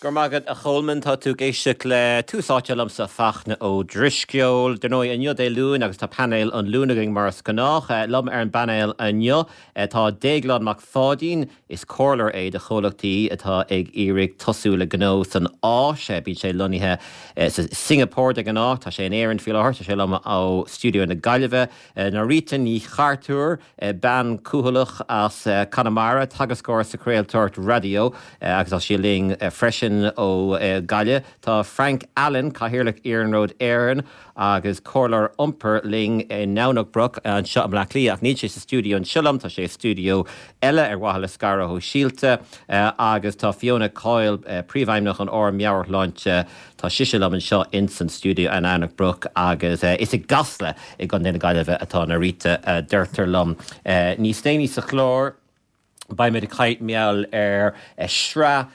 Go raibh maith agat a Cholmáin, tá tú ag éisteacht le Tús Áite liomsa Fachtna Ó Drisceoil. Dar ndóigh inniu Dé Luain agus tá painéal an Luain againn mar is gnách. Liom ar an bpainéal inniu tá Déaglán Mac Pháidín, is comhairleoir é do chomhlachtaí atá ag iarraidh tosú le gnó san Áis. Bíonn sé lonnaithe sa Singapore de ghnáth. Tá sé in Éirinn faoi láthair. Tá sé liom ó stiúideo na Gaillimhe. Norita Ní Chartúir. Bean cúthaileach as Conamara, teagascóir sa chraoltóireacht raidió agus tá sí linn freisin ó Ghaillimh. Tá Frank Allen, Cathaoirleach Iarnród Éireann agus Comhairleoir Iompair linn i nDomhnach Broc anseo i mBleá Cliath ach níl sé sa stiúideo anseo liom, tá sé i stiúideo eile ar mhaithe le scaradh shóisialta. Agus tá Fiona Coyle, Príomhfheidhmeannach an Fhóraim Meabhairshláinte, Tá sise liom anseo ins an stiúideo i nDomhnach Broc agus is i gCasla i gContae na Gaillimhe atá Norita, a deirtear liom. Níos déanaí sa chlár beimid ag caint mar gheall ar shraith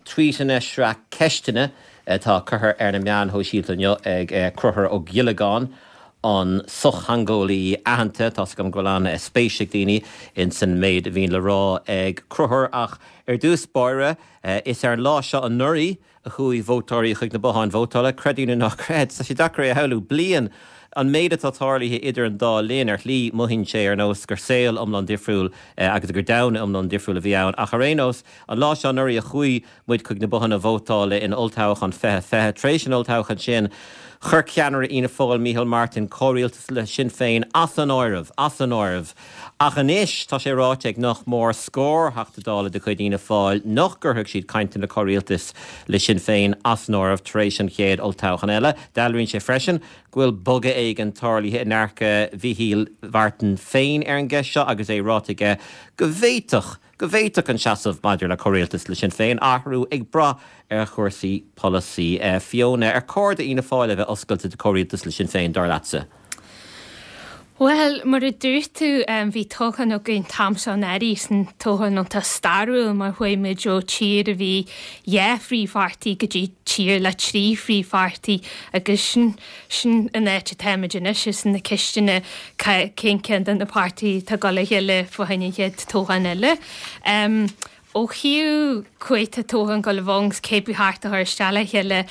tweetanna, sraith ceisteanna atá curtha ar na meáin shóisialta inniu ag Conchúr Ó Giollagáin, an sochtheangeolaí aitheanta. Tá's agam go bhfuil an-spéis ag daoine ins an méid a bhíonn le rá ag Conchúr ach ar dtús báire is ar an lá seo anuraidh a chuaigh vótóirí chuig na botháin vótála, creid é nó ná creid. Tá sé deacair é a shamhlú. Bliain! An méid atá tarlaithe idir an dá linn, ar shlí, mothaíonn sé ar nós gur saol iomlán difriúil agus gur domhan iomlán difriúil a bhí ann. Ach ar aon nós, an lá seo anuraidh a chuaigh muid chuig na bothanna vótála in olltoghchán 2020. Tar éis an olltoghcháin sin, chuir ceannaire Fhianna Fáil, Micheál Martin, comhrialtas le Sinn Féin as an áireamh. As an áireamh. Ach anois, tá sé ráite ag nach mór scór Theachta Dála de chuid Fhianna Fáil nach gcuirfeadh siad cainteanna comhrialtais le Sinn Féin as an áireamh tar éis an chéad olltoghchán eile. Dealraíonn sé freisin go bhfuil bogadh éigin tarlaithe i ndearcadh Mhichíl Mhartin féin ar an gceist seo agus é ráite aige go bhféadfadh go bhféadfadh an seasamh maidir le comhrialtas le Sinn Féin athrú ag brath ar chúrsaí polasaí. Fiona, ar chóir d'Fhianna Fáil a bheith oscailte do chomhrialtas le Sinn Féin, dar leatsa? Bhuel, mar a dúirt tú, bhí toghchán againn an t-am seo anuraidh, sin toghchán iontach stairiúil mar chuaigh muid ó tír a bhí dhá phríomhpháirtí go dtí tír le trí phríomhpháirtí agus sin, sin an áit atáimid anois, is na ceisteanna cén ceann de na páirtithe atá ag dul a ghéilleadh fá choinne an chéad toghchán eile. Ó thaobh cá huair atá toghchán ag dul a bheith ann 's cé ba cheart a chur isteach le chéile,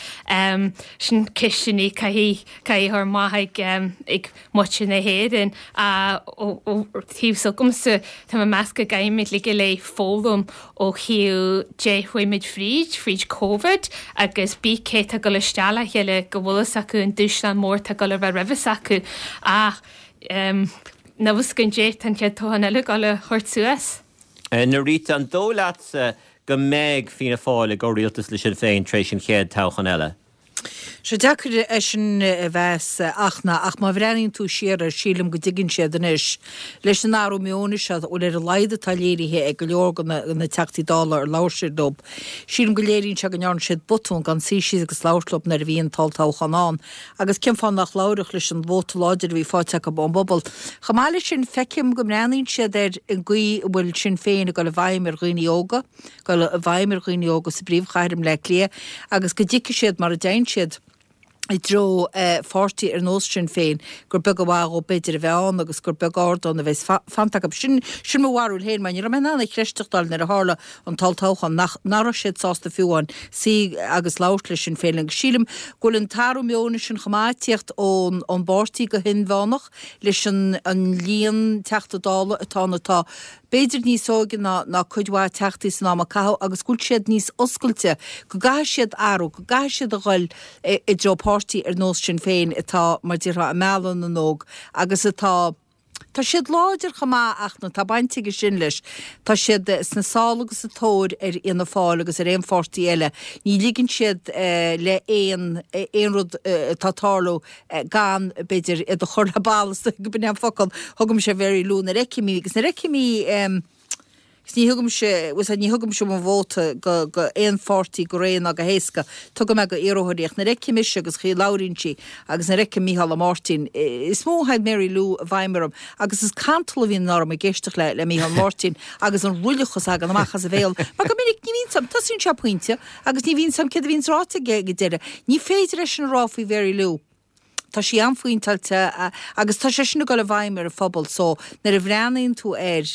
sin ceisteanna caithfidh caithfidh a chur amach ag ag muintir na hÉireann. Ó thaobh s'agamsa, tá mé ag meas go gcaithfimid uilig go léir foghlaim ó thaobh dé chuaigh muid fríd, fríd Covid agus bí cé tá ag dul isteach le chéile go bhfuil fhios acu an dúshlán mór atá ag dul a bheith roimhe s'acu. Ach níl fhios againn dé tá an chéad toghchán eile ag dul a thabhairt suas. Norita, an dóigh leatsa go mbeidh Fianna Fáil i gcomhrialtas le Sinn Féin tar éis an chéad toghchán eile? Sé deacair é sin a mheas Fhachtna, ach má bhreathnaíonn tú siar air, sílim go dtuigeann siad anois, leis an athrú meoin seo, bhuel ar a laghad atá léirithe ag go leor de na Teachtaí Dála ar labhair siad leo, sílim go léiríonn sé go ndearna siad botún gan suí síos agus labhairt leo nuair a bhí an t-olltoghchán ann. Agus cén fáth nach labhródh leis an vóta láidir a bhí faighte acu ón bpobal? Chomh maith leis sin, feicim go mbreathnaíonn siad ar an gcaoi a bhfuil Sinn Féin ag dul i bhfeidhm ar dhaoine óga, dul i bhfeidhm ar dhaoine óga sa bpríomhchathair i mBleá Cliath agus go dtuigfidh siad mar a dtéann siad i dtreo pháirtí ar nós Sinn Féin gur beag an mhaith dhóibh b'fhéidir a bheith ann agus gur beag ardán a bheas fanta acu. Sin sin mo bharúil féin mar ní raibh mé in ann a chreisteachtáil nuair a tharla an t-olltoghchán nach nach raibh siad sásta fiú amháin suí agus labhairt le Sinn Féin agus sílim go bhfuil an t-athrú meoin sin chomh maith ag tíocht ón ón bpáirtí go hinmheánach leis an an líon Teachta Dála atá ann atá b'fhéidir níos óige ná ná cuid mhaith teachtaí san am a caitheadh agus go bhfuil siad níos oscailte, go gcaithfidh siad athrú, go gcaithfidh siad a dhul i dtreo páirtí ar nós Sinn Féin atá, mar déarfá, ag mealladh na n-óg agus atá, tá siad láidir chomh maith ach nó tá baint aige sin leis, tá siad sna sála agus sa tóir ar Fhianna Fáil agus ar aon pháirtí eile, ní ligeann siad le aon aon rud atá ag tarlú gan, b'fhéidir, iad a chur le balla, is dóigh gurb in é an focal, thugaimse ar Mhary Lou nuair a fheicim í, agus nuair a fheicim í, agus ní thugaimse, bhfuil 's a'd, ní thugaimse mo vóta go, go aon pháirtí go réidh ná go héasca, tugaim é go iarrthóirí, ach nuair a fheicim ise agus an chaoi a labhraíonn sí, agus nuair a fheicim Mícheál Ó Máirtín, is mó a théann Mary Lou i bhfeidhm orm, agus is cantal a bhíonn orm ag éisteacht le, le Mícheál Máirtín, agus an ruilleachas a thagann amach as a bhéal, mar go minic ní bhíonn 's a'm, tosaíonn sé pointe, Agus ní bhíonn 's a'm céard a bhíonns ráite aige ag an deireadh. Ní féidir é sin a rá faoi Mhary Lou. Tá sí an-phointeáilte agus tá sé sin ag dul i bhfeidhm ar an phobal so nuair a bhreathnaíonn tú air,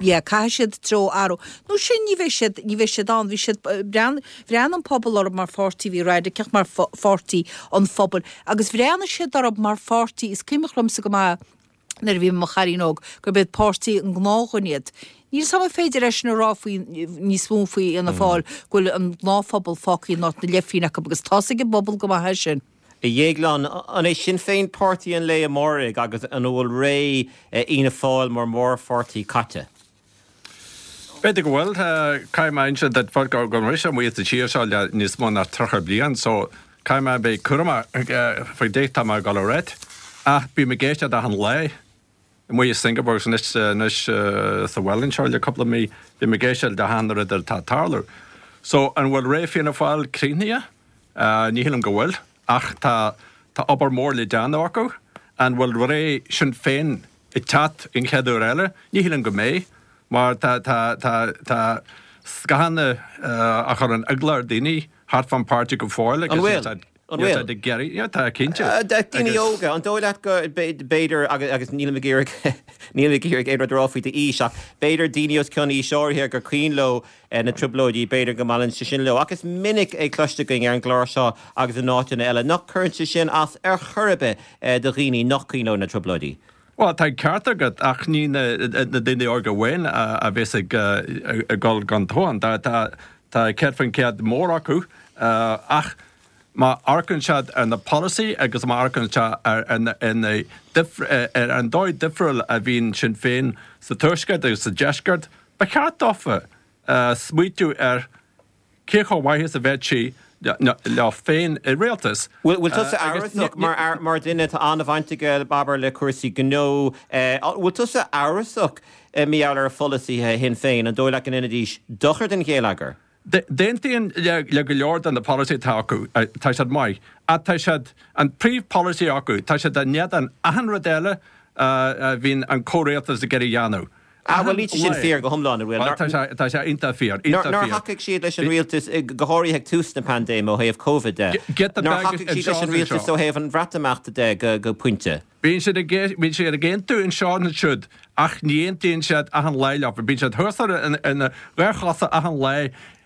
yeah, caithfidh siad treo a athrú. Nó sin, ní bheidh siad, ní bheidh siad ann. Bhí siad, bhreathnaigh an pobal orthu mar pháirtí a bhí raidiceach, mar pháirtí an phobail agus bhreathnaigh siad orthu mar pháirtí, is cuimhneach liomsa go maith nuair a bhí mé i mo chailín óg, gurb iad páirtí an gnáthdhuine iad. Níl 's agam an féidir é sin a rá faoi, níos mó faoi Fhianna Fáil, go bhfuil an gnáthphobal fágtha in áit na leithphingin acu agus tá's ag an bpobal go maith é sin. A Dhéagláin, an é Sinn Féin páirtí an lae amáirigh agus an bhfuil ré Fhianna Fáil mar mhórpháirtí caite? B'fhéidir go bhfuil. Caithfidh mé a inse duit go raibh mise amuigh sa tír seo le níos mó ná 30 bliain so caithfidh mé a bheith cúramach faoi cad é atá mé ag dul a ráit. Ach bím ag éisteacht achan lá amuigh i Singapore agus anois anois sa bhaile anseo le cúpla mí, bím ag éisteacht le achan rud atá ag tarlú. So an bhfuil ré Fianna Fáil críochnaithe? Ní shílim go bhfuil ach tá tá obair mhór le déanamh acu. An bhfuil ré Sinn Féin ag teacht an chéad uair eile? Ní shílim go mbeidh, mar tá, tá, tá, tá scáthanna á chur an eagla ar daoine thart fán páirtí go fóill agus An bhfuil? níl siad, An níl bhfuil? siad ag iarraidh, yeah, tá, cinnte. Daoine Agus. óga, an dóigh leat go, b'fhéidir, agus, agus nílim ag iarraidh, nílim ag iarraidh aon rud a rá faoi d'aois, ach b'fhéidir daoine os cionn aois áirithe gur cuimhin leo na Trioblóidí, b'fhéidir go mbaineann sé sin leo. Ach is minic é cloiste againn ar an gclár seo agus in áiteanna eile nach gcuireann sé sin as ar chor ar bith do dhaoine nach cuimhin leo na Trioblóidí. Bhuel, tá an ceart agat, ach ní na daoine óga amháin a bheas ag dul don toghchán. Tá 100% mór acu, ach má amharcann siad ar na polasaí agus má amharcann siad ar an dóigh difriúil a bhíonn Sinn Féin sa Tuaisceart agus sa Deisceart, ba cheart dófa smaoitiú ar cé chomh maith is a bheadh sí leo féin i rialtas. Bhfuil tusa amhrasach, mar dhuine atá an-bhaint aige, abair, le cúrsaí gnó, bhfuil tusa amhrasach mar gheall ar pholasaithe Shinn Féin? An dóigh leat go ndéanfaidís dochar don gheilleagar? D'aontaím le go leor de na polasaithe atá acu, tá siad maith. Ach tá siad, an príomhpholasaí acu, tá siad in éadan achan rud eile a bhíonn an comhrialtas ag iarraidh a dhéanamh. Ah, bhuel, níl sé sin fíor go hiomlán, an bhfuil? Bhuel, tá sé, tá sé iontach fíor, iontach fíor. Nár thacaigh siad leis an rialtas, go háirithe ag tús na paindéime ó thaobh Covid de? Nár thacaigh siad leis an rialtas ó thaobh an Bhreatimeachta de go pointe? Bíonn siad ag, bíonn siad ag aontú anseo nó ansiúd, ach ní aontaíonn siad achan lá leo. Bíonn siad thuas ar na dhá chosa achan lá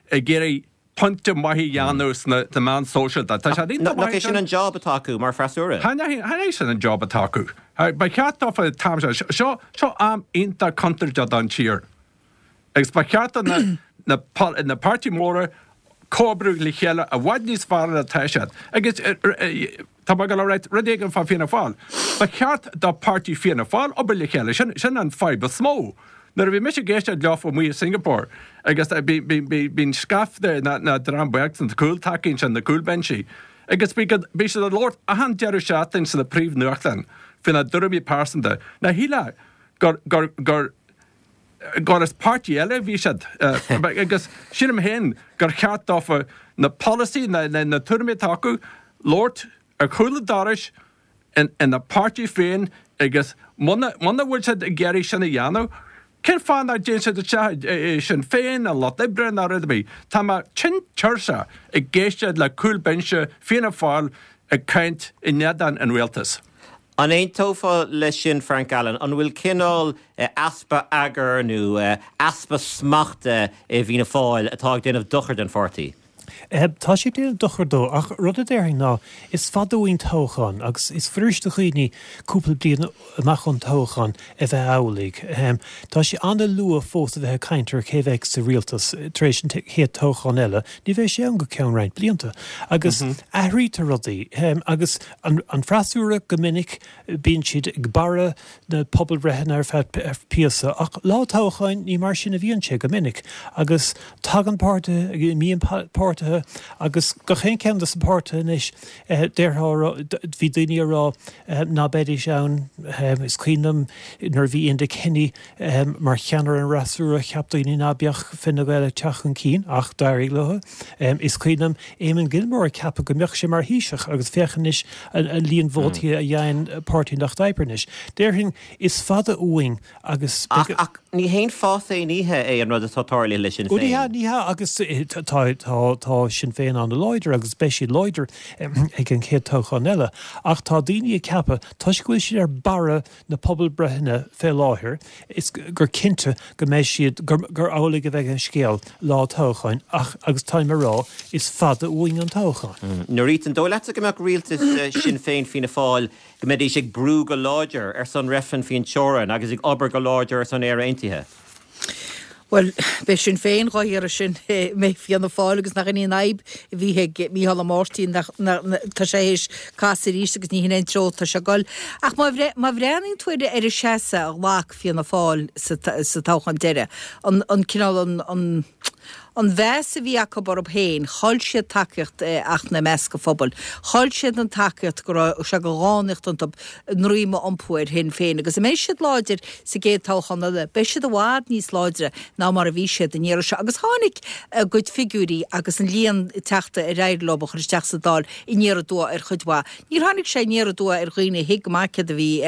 ag iarraidh pointe maith a dhéanamh sna meáin sóisialta. Tá sé iontach maith. Nach é sin an job atá acu mar freasúra? Chan é sin an job atá acu. Ba cheart dófa an t-am seo, seo, seo am iontach contúirteach don tír. Agus ba cheart do na, na, na páirtí móra comhoibriú le chéile i bhfad níos fearr ná atá siad. Agus tá mé ag dul a ráit rud éigin fá Fianna Fáil. Ba cheart do páirtí Fianna Fáil obair le chéile. Sin, sin an fadhb is mó. Nuair a bhí mise ag éisteacht leofa amuigh i Singapore agus bíonn scaifte de na dream beag sna cúltacaí ansin, na cúlbhinsí, agus bhí siad ag labhairt achan deireadh seachtaine sna príomhnuachtáin faoina dtuairimí pearsanta. Ná shílfeá gur, gur, gur, gur as páirtí eile a bhí siad. Agus sílim féin gur cheart dófa na polasaí, na, na tuairimí atá acu, labhairt ar chúl an dorais, ina bpáirtí féin agus muna bhfuil siad ag iarraidh sin a dhéanamh, cén fáth nach dtéann siad isteach i Sinn Féin, an Lucht Oibre ná rud ar bith? Tá mé tinn tuirseach ag éisteacht le cúl binse Fianna Fáil ag caint in éadan an rialtais. An aontófá leis sin, Frank Allen? An bhfuil cineál easpa eagair nó easpa smachta i bhFianna Fáil atá ag déanamh dochar don pháirtí? Tá sé ag déanamh dochar dó, ach rud a déarfainn ná, is fada uainn toghchán agus is fuirist do dhaoine cúpla bliain amach ón toghchán a bheith amhlaidh. Tá sé an-luath fós a bheith ag caint ar cé bheidh sa rialtas tar éis an chéad toghchán eile, ní bheidh sé ann go ceann roinnt blianta. Agus athraítear rudaí agus an freasúra go minic, bíonn siad ag barra na pobalbhreitheanna ar feadh píosa, ach lá toghcháin ní mar sin a bhíonn sé go minic agus tagann páirtithe, imíonn páirtithe agus gach aon cheann de na páirtithe anois, déarfá, bhí daoine ag rá ná beidís ann, is cuimhin liom nuair a bhí Enda Kenny mar cheannaire an fhreasúra cheap daoine ná beadh Fine Gael ag teacht chun cinn ach d'éirigh leo. Is cuimhin liom Eamon Gilmore ag ceapadh go mbeadh sé mar Thaoiseach agus féach anois an líon vótaí a fhaigheann Páirtí an Lucht Oibre anois. Déarfainn, is fada uainn agus beidh. Ach, ach ní haon fás aon oíche é an rud atá tarlaithe le Sinn Féin. Ní hea, ní hea agus tá, tá, tá. tá Sinn Féin an-láidir agus beidh siad láidir ag an chéad toghchán eile. Ach tá daoine ag ceapadh, toisc go bhfuil siad ar barra na pobalbreitheanna fé láthair, is gur cinnte go mbeidh siad, gur amhlaidh a bheidh an scéal lá toghcháin ach, agus táim a rá, is fada uainn an toghchán. Norita, an dóigh leatsa go mbeadh rialtas Sinn Féin, Fianna Fáil, go mbeidís ag brú go láidir ar son reifreann faoin teorainn agus ag obair go láidir ar son Éire Aontaithe? Bhuel, beidh Sinn Féin dhá iarraidh sin, mbeidh Fianna Fáil agus nach in í an fhadhb a bhí ag Micheál Ó Máirtín, nach, tá sé théis casadh arís agus ní hin é an treo atá sé ag dul. Ach má, má bhreathnaíonn tú ar, ar an seasamh a ghlac Fianna Fáil sa, sa toghchán deiridh, an, an cineál, an, an, an mheas a bhí acu orthu féin, chaill siad tacaíocht Fhachtna i measc an phobail. Chaill siad an tacaíocht go raibh sé de dhánaíocht iontu a ndroim a iompú ar Shinn Féin agus a mbeidh siad láidir sa gcéad toghchán eile, beidh siad i bhfad níos láidre ná mar a bhí siad an iarraidh seo. Agus tháinig a gcuid figiúirí agus an líon teachta ar éirigh leo a chur isteach sa Dáil aniar aduaidh ar chuid mhaith. Níor tháinig sé aniar aduaidh ar dhaoine a thuig go maith céard a bhí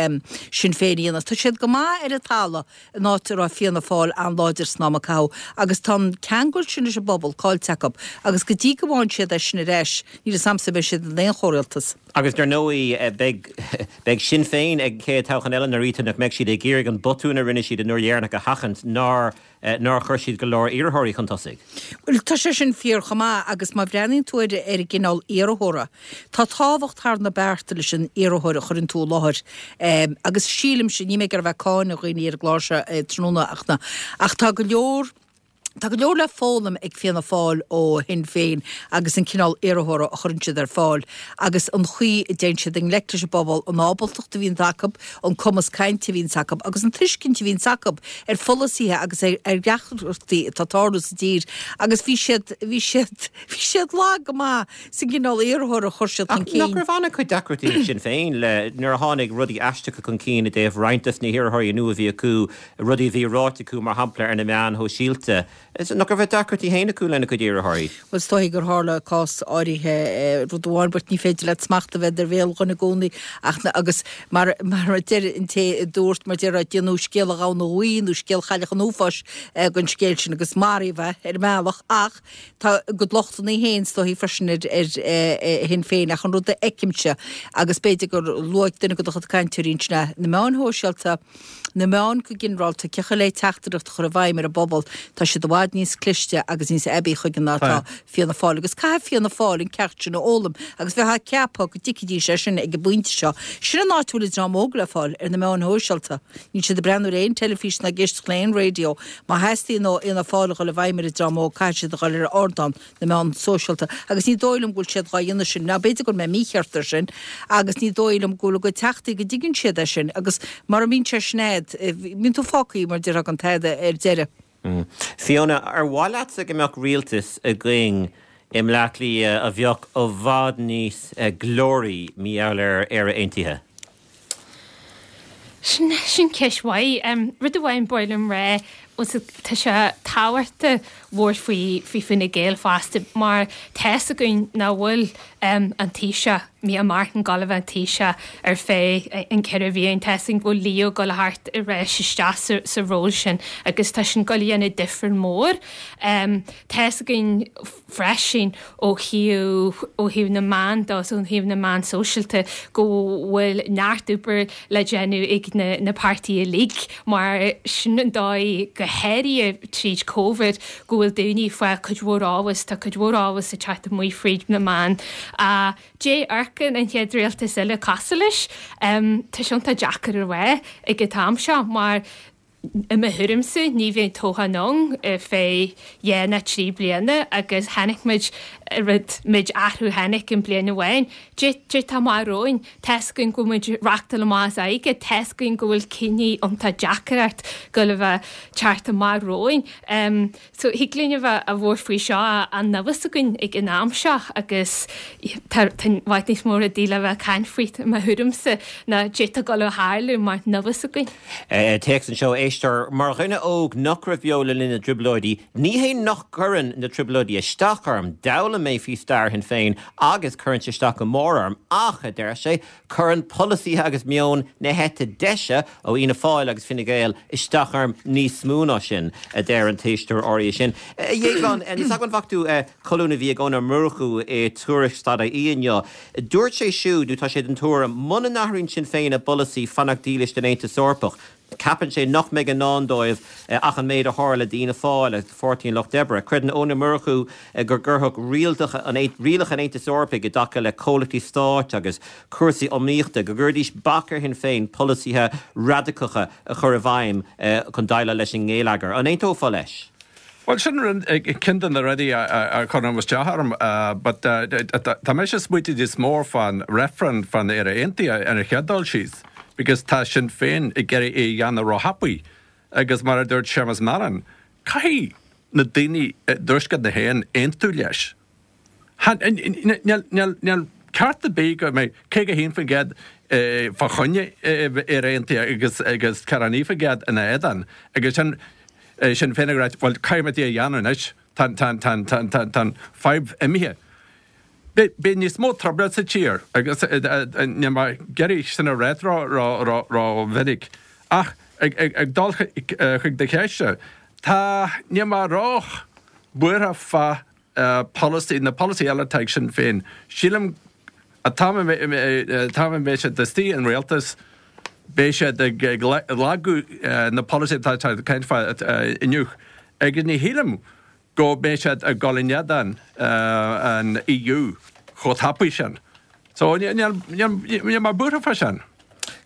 Sinn Féin a dhéanamh. Tá siad go maith ar an talamh in áit a raibh Fianna Fáil an-láidir san am a caitheadh agus tá an ceangal sin leis an bpobal caillte acu agus go dtí go bhfaigheann siad é sin ar ais, níl 'fhios a'msa an mbeidh siad in aon chomhrialtas. Agus dar ndóigh, beidh, beidh Sinn Féin ag an chéad toghchán eile, Norita, nach mbeidh siad ag iarraidh an botún a rinne siad an uair dheireanach a sheachaint, nár, nár chuir siad go leor iarrthóirí chun tosaigh. Bhuel, tá sé sin fíor chomh maith agus má bhreathnaíonn tú ar, ar an gcineál iarrthóra, tá tábhacht thar na bearta leis an iarrthóir a chuireann tú i láthair agus sílimse, níl mé ag iarraidh a bheith ag cáineadh dhaoine ar an gclár seo tráthnóna ach na, ach tá go leor, Tá go leor le foghlaim ag Fianna Fáil ó Shinn Féin agus an cineál iarrthóra a chuireann siad ar fáil agus an chaoi a dtéann siad i ngleic leis an bpobal, an ábaltacht a bhíonns acu, an cumas cainte a bhíonns acu agus an tuiscint a bhíonns acu ar pholasaithe agus ar dheacrachtaí atá ag tarlú sa tír agus bhí siad, bhí siad, bhí siad lag go maith sa gcineál iarrthóra a chuir siad chun cinn. Ach nach raibh an-chuid deacrachtaí ag Sinn Féin le nuair a tháinig rudaí aisteacha chun cinn i dtaobh roinnt des na hiarrthóirí nua a bhí acu, rudaí a bhí ráite acu, mar shampla, ar na meáin shóisialta. Nach raibh deacrachtaí féin acu lena gcuid iarrthóirí? Bhuel, is dóigh gur tharla cás áirithe, rud amháin, but ní féidir leat smacht a bheith ar bhéal dhuine i gcónaí ach na, agus mar, mar a deir an té a dúirt, mar déarfá, déanadh scéal an ghamhna bhuí nó scéal Chailleach an Uafáis den scéal sin agus maraíodh é ar an mbealach ach tá a gcuid lochtanna féin is dóigh freisin ar, ar Shinn Féin ach an rud a fheicimse agus b'fhéidir gur luaigh duine de do chuid cainteoirí ansin é, na meáin shóisialta, Na meáin go ginearálta, cén chaoi le teachtaireacht a chur i bhfeidhm ar an bpobal, tá siad i bhfad níos cliste agus níos aibí chuige ná atá Fianna Fáil. Agus caithfidh Fianna Fáil an ceacht sin a fhoghlaim agus bheifeá ag ceapadh go dtuigfidís é sin ag an bpointe seo. Sin an áit a bhfuil an dream óg le fáil, ar na meáin shóisialta. Níl siad ag breathnú ar aon teilifís ná ag éisteacht le aon raidió. Má theastaíonn ó Fhianna Fáil a dhul i bhfeidhm ar an dream óg, caithfidh siad a dhul ar ardán na meán sóisialta agus ní dóigh liom go bhfuil siad dhá dhéanamh sin, ná b'fhéidir go bhfuil mé mícheart ar sin, agus ní dóigh liom go bhfuil a gcuid teachtaí go dtuigeann siad é sin agus mara mbíonn sé sin a'd, bíonn tú fágtha mar déarfá gan tada ar deireadh. Fiona, ar mhaith leatsa go mbeadh rialtas againn i mBleá Cliath a bheadh i bhfad níos glóraí mar gheall ar Éire Aontaithe? Sin, sin ceist mhaith. Rud amháin ba mhaith liom rá, tá sé tábhachtach labhairt faoi, faoi Fine Gael fosta mar tá's againn nach bhfuil an Taoiseach, Micheál Martin, gabháil a bheith ina Thaoiseach ar feadh an cheithre bhliain. Tá's againn go bhfuil Leo ag gabháil a theacht ar ais isteach sa, sa ról sin agus tá sin gabháil a dhéanamh difear mór. Tá's againn freisin ó thaobh ó thaobh na meán de ó thaobh na meán sóisialta go bhfuil neart obair le déanamh ag na na páirtithe uilig mar sin an dóigh go háirithe tríd Covid go bhfuil daoine ag fáil cuid mhór eolas tá cuid mhór eolas ag teacht amuigh fríd na meáin Dé amharcann an chéad rialtas eile cosúil leis tá sé iontach deacair a rá ag an t-am seo mar I mo thuairimse, ní bheidh toghchán ann ar feadh dha ná tri bliana agus chonaic muid rud méid athrú tháinig in bliain amháin. Dé dé tá amach romhainn? Tá's againn go bhfuil muid ag reachtáil amach as airgead, tá's againn go bhfuil cinní iontach deacair ort gabháil a bheith teacht amach romhainn. So thig linn a bheith a bhuairt faoi seo ach níl a fhios againn ag an am seo agus tá i bhfad níos mó rudaí le bheith ag caint faoi i mo thuairimse ná dé tá ag gabháil a tharlú mar níl a fhios againn. Téacs anseo. éisteoir, Mar dhuine óg nach raibh beo le linn na dTrioblóidí, ní hé nach gcuireann na Trioblóidí isteach orm, d'fhoghlaim mé faoi stair Shinn Féin agus cuireann sé isteach go mór orm, ach, a deir sé, cuireann polasaithe agus meon na heite deise ó Fhianna Fáil agus Fine Gael isteach orm níos mó ná sin, a deir an t-éisteoir áirithe sin. A Dhéagláin, níl 's agam an bhfaca tú colún a bhí ag Eoin Ó Murchú i Tuairisc dot ie inniu. Dúirt sé siúd, nó tá sé den tuairim, muna n-athraíonn Sinn Féin a bpolasaí fanacht dílis don Aontas Eorpach, ceapann sé nach mbeidh i ndán dóibh ach an méid a tharla d'Fhianna Fáil agus do Pháirtí an Lucht Oibre. Creideann Eoin Ó Murchú go gcuirfeadh rialacha an Aontais Eorpaigh i dtaca le comhlachtaí stáit agus cúrsaí iomaíochta, go gcuirfidís bac ar Shinn Féin polasaithe radacacha a chur i bhfeidhm chun déileáil leis an ngeilleagar. An aontófá leis? Bhuel, sin ceann de na rudaí a chuireann isteach orm, but tá mise ag smaoitiú níos mó fán reifreann fán Éire Aontaithe ar an chéad dul síos, because tá Sinn Féin ag iarraidh é a dhéanamh róthapaidh agus mar a dúirt Séamus Mallon, caithfidh na daoine i dtuaisceart na hÉireann aontú leis. Níl ceart ar bith go mbeidh 51% fá choinne Éire Aontaithe agus agus 49% ina éadan agus sin Sinn Féin ag ráit bhuel caithfidh muid é a dhéanamh anois, tá an fadhb imithe. Beidh níos mó trioblóid sa tír agus níl mé ag iarraidh sin a ráit ró-mhinic ach ag dul chuig do cheist, tá, níl mé ró-bhuartha fá polasaí, na polasaí eile atá ag Sinn Féin. Sílim an t-am a mbeidh siad istigh in rialtas, beidh siad ag lagú na polasaí atá ag caint fá inniu. Agus ní shílim go mbeidh siad ag dul in éadan an EU chomh tapaidh sin. So níl mé buartha fá sin.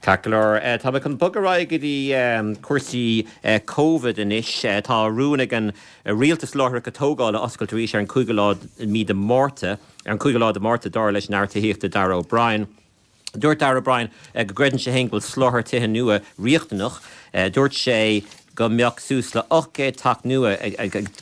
Ceart go leor, tá mé chun bogadh ar aghaidh go dtí cúrsaí Covid anois. Tá rún ag an Rialtas láithreacha tógála a oscailt arís ar an 5ú lá mí de Márta, ar an 5ú lá de Márta, dar leis an Aire Tithíochta Darragh O'Brien. Dúirt Darragh O'Brien go gcreideann sé féin go bhfuil soláthar tithe nua riachtanach. Dúirt sé go mbeadh suas le 800 teach nua,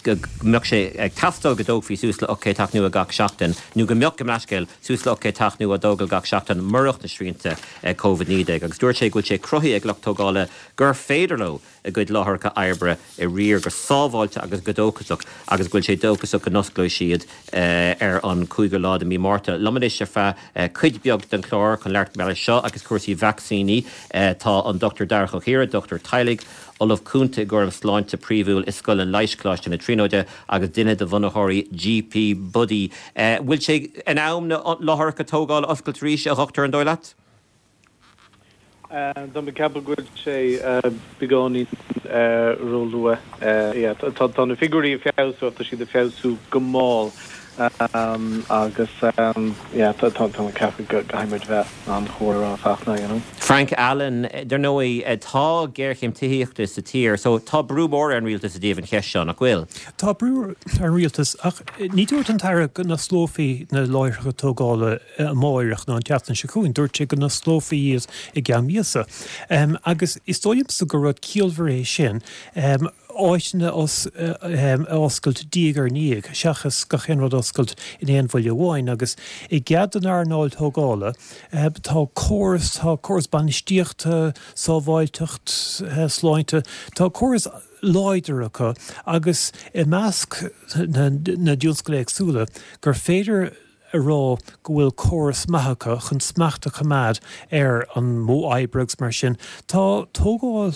go mbeadh sé ag teastáil go dtógfaí suas le 800 teach nua gach seachtain, nó go mbeadh, gabh mo leithscéal, suas le 800 teach nua á dtógáil gach seachtain murach na srianta Covid-19. Agus dúirt sé go bhfuil sé cruthaithe ag lucht tógála gur féidir leo a gcuid láithreacha oibre a riar go sábháilte agus go dóchasach agus go bhfuil sé dóchasach go n-osclóidh siad ar an 5ú lá de mhí Márta. Liom anois ar feadh cuid beag den chlár chun labhairt mar gheall air seo agus cúrsaí vacsaíní tá an Dr Darach Ó hEára, dochtúir teaghlaigh, Ollamh Cúnta i gcúram sláinte príomhúil i Scoil an Leighis, Coláiste na Tríonóide agus duine de bhunaitheoirí GP Buddy. Bhfuil sé in am na láithreacha tógála a oscailt arís, a dhochtúir, an dóigh leat? Tá mé ag ceapadh go bhfuil sé beagáinín róluath. Tá na figiúirí ag feabhsú ach tá siad ag feabhsú go mall agus yeah tá mé ag ceapadh go gcaithfidh muid bheith an-chúramach Fachtna, you know. Frank Allen, Dar ndóigh, tá géarchéim tithíochta sa tír so tá brú mór ar an rialtas i dtaobh an cheist seo, nach bhfuil? Tá brú ar an rialtas ach ní dúirt an tAire go n-osclófaí na láithreacha tógála amáireach nó an tseachtain seo chugainn. Dúirt sé go n-osclófaí iad i gceann míosa. Agus is dóigh liomsa gur rud ciallmhar é sin, áiteanna a oscailt diaidh ar ndiaidh, seachas gach aon rud a oscailt in aon bhuille amháin. Agus i gcead don earnáil tógála, tá córas, tá córas bainistíochta, sábháilteacht, sláinte, tá córas láidir acu agus i measc na dtionscal éagsúla gur féidir a rá go bhfuil córas maith acu chun smacht a choimeád ar an modh oibre agus mar sin. Tá tógáil,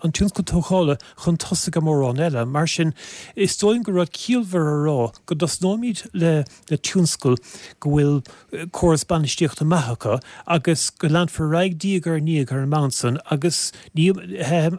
an tionscal tógála chun tosaigh ar mórán eile. Mar sin, is dóigh liom gur rud ciallmhar a rá go dtosnóimid le le tionscal go bhfuil córas bainistíochta maith acu agus go leanfar ar aghaidh diaidh ar ndiaidh ar an mbonn san agus ní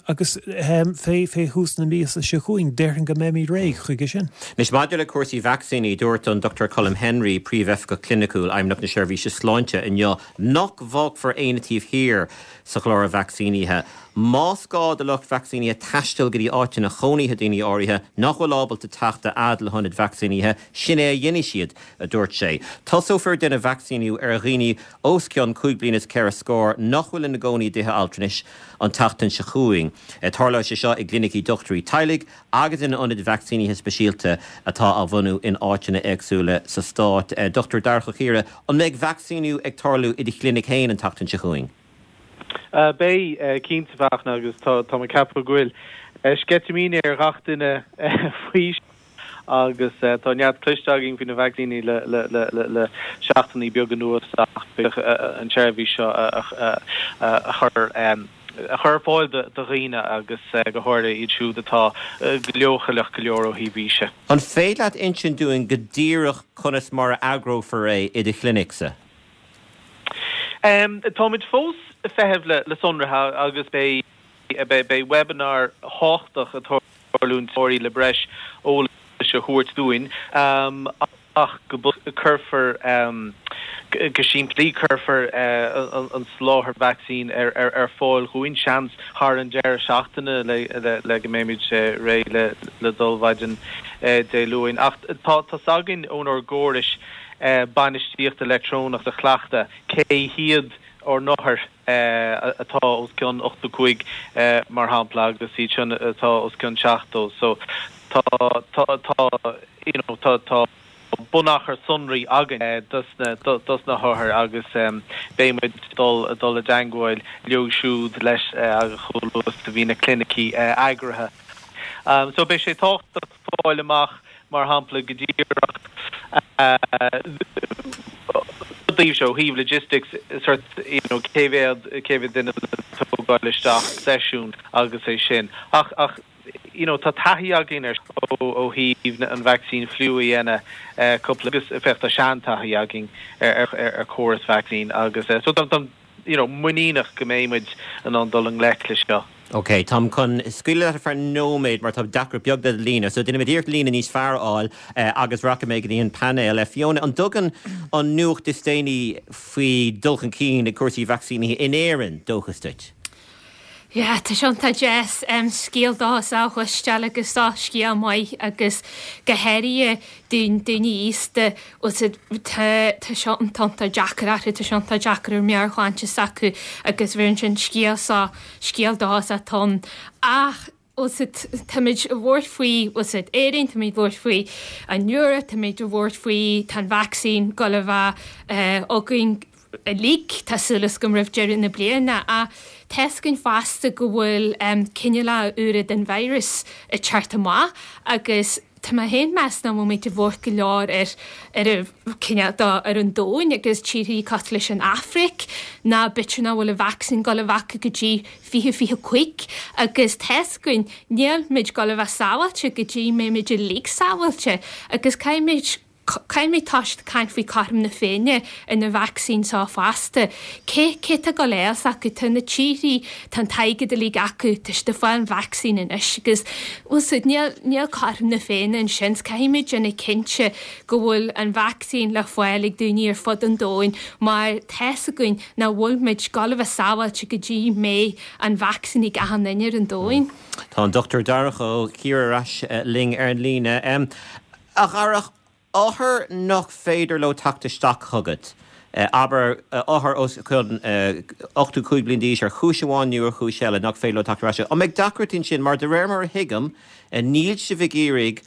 agus fé fé thús na míosa seo chugainn déarfainn go mbeimid réidh chuige sin. Anois maidir le cúrsaí vacsaíní, dúirt an Dr Colm Henry, Príomhoifigeach Cliniciúil, Fheidhmeannacht na Seirbhíse Sláinte inniu nach bhfágfar éinne taobh thiar sa chlár vacsaínithe. Más gá do lucht vacsaínithe taisteal go dtí áiteanna chónaithe daoine áirithe nach bhfuil ábalta teacht a fhad le hionaid vacsaínithe, sin é a dhéanfaidh siad, a dúirt sé. Tosófar ag déanamh vacsaíniú ar dhaoine os cionn chúig bliana is ceithre scór nach bhfuil ina gcónaí i dtithe altranais an tseachtain seo chugainn. Tarlóidh sé seo i gclinicí dochtúirí teaghlaigh agus in ionaid vacsaínithe speisialta atá á bhunú in áiteanna éagsúla sa stát. Dr Darach Ó Ciardha, an mbeidh vacsaíniú ag tarlú i do chlinic féin an tseachtain seo chugainn? Beidh, cinnte, a Fhachtna, agus tá mé ag ceapadh go bhfuil sceitimíní ar ghach duine faoi agus tá neart cloiste againn faoi na vacsaíní le seachtainí beaga anuas ach beidh an tseirbhís seo a chur a chur ar fáil do dhaoine agus go háirithe iad siúd atá leochaileach go leor ó thaobh aoise. An féidir leat insint dúinn go díreach conas mar a eagrófar é i do chlinicse? Táimid fós ag feitheamh le sonraithe agus beidh beidh webinar thábhachtach ag tarlúint le breis eolais a thabhairt dúinn ach go cuirfear go simplí cuirfear an soláthar vacsaín ar fáil dhúinn, seans thar an deireadh seachtaine le go mbeimid réidh le dul mhaidin Dé Luain. Ach tá 's againn ónár gcórais bainistíochta leictreonach sa chleachtadh cé hiad ár n-othair atá os cionn 85 mar shampla agus iad sin atá os cionn 70. So tá tá tá you know tá tá bunachar sonraí againn dos na dos na hothair agus beidh muid dul dul i dteangmháil leo siúd leis chomh luath is a bhí na clinicí eagraithe. So beidh sé tábhachtach fáil amach mar shampla go díreach daoibhse ó thaobh logistics sort you know cé mhéad cé mhéad duine le tógáil isteach seisiún agus é sin ach ach you know tá taithí againn ar ó ó thaobh an vacsaín fliú a dhéanamh cúpla agus féach tá seantaithí againn ar ar ar córas vacsaín agus so tá tá you know, muiníneach go mbeidh muid in ann dul i ngleic leis seo. Ok, táim chun scaoileadh leat ar feadh nóiméad mar tá deacracht beag le do líne, so déanfaimid iarracht líne níos fearr a fháil agus rachaidh mé go dtí an painéal. Fiona, an dtugann an nuacht is déanaí faoi dul chun cinn ag cúrsaí vacsaínithe in Éirinn dóchas duit? Yeah, tá sé iontach deas scéal dóchasach a chloisteáil agus seo scéal maith agus go háirithe daoine aosta, tá tá seo iontach deacair orthu, tá sé iontach deacair ar meabhairshláinte s'acu agus bheireann sin scéal seo, scéal dóchasach atá ann. Ach táimid ag labhairt faoi, Éirinn, táimid ag labhairt faoi an Eoraip, táimid ag labhairt faoi tá an vacsaín ag dul a bheith againn uilig, tá súil agam roimh deireadh na bliana. Ach tá's againn fosta go bhfuil cineálacha úra den virus ag teacht amach agus tá mé féin meas nach bhfuil muid ag labhairt go leor ar ar an cineál do ar an domhain agus tíorthaí cosúil leis an Afraic ná b'fhéidir nach bhfuil an vacsaín ag dul a bheith acu go dtí 2025 agus tá's againn níl muid ag dul a bheith sábháilte go dtí mbeidh muid uilig sábháilte agus caithfimid Caithfimid toiseacht ag caint faoi cothrom na Féinne ar na vacsaín seo fosta. Cé, cé tá ag dul a fháil s'acu? Tá na tíorthaí, tá an t-airgead uilig acu, tá siad ag fáil an vacsaín anois agus, bhfuil 's a'd, níl, níl cothrom na Féinne ansin. Caithfimid déanamh cinnte go bhfuil an vacsaín le fáil ag daoine ar fud an domhain mar tá's againn nach bhfuil muid ag dul a bheith sábháilte go dtí mbeidh an vacsaín ag achan duine ar an domhain. Tá an Dr Darach Ó Ciardha ar ais linn ar an líne. A Dharach, othair nach féidir leo teacht isteach chugat, abair, othair os cionn 85 bliain d'aois ar chúis amháin nó ar chúis eile nach féidir leo teacht ar ais, an mbeidh deacrachtaí ansin? Mar de réir mar a thuigim, níl sibh ag iarraidh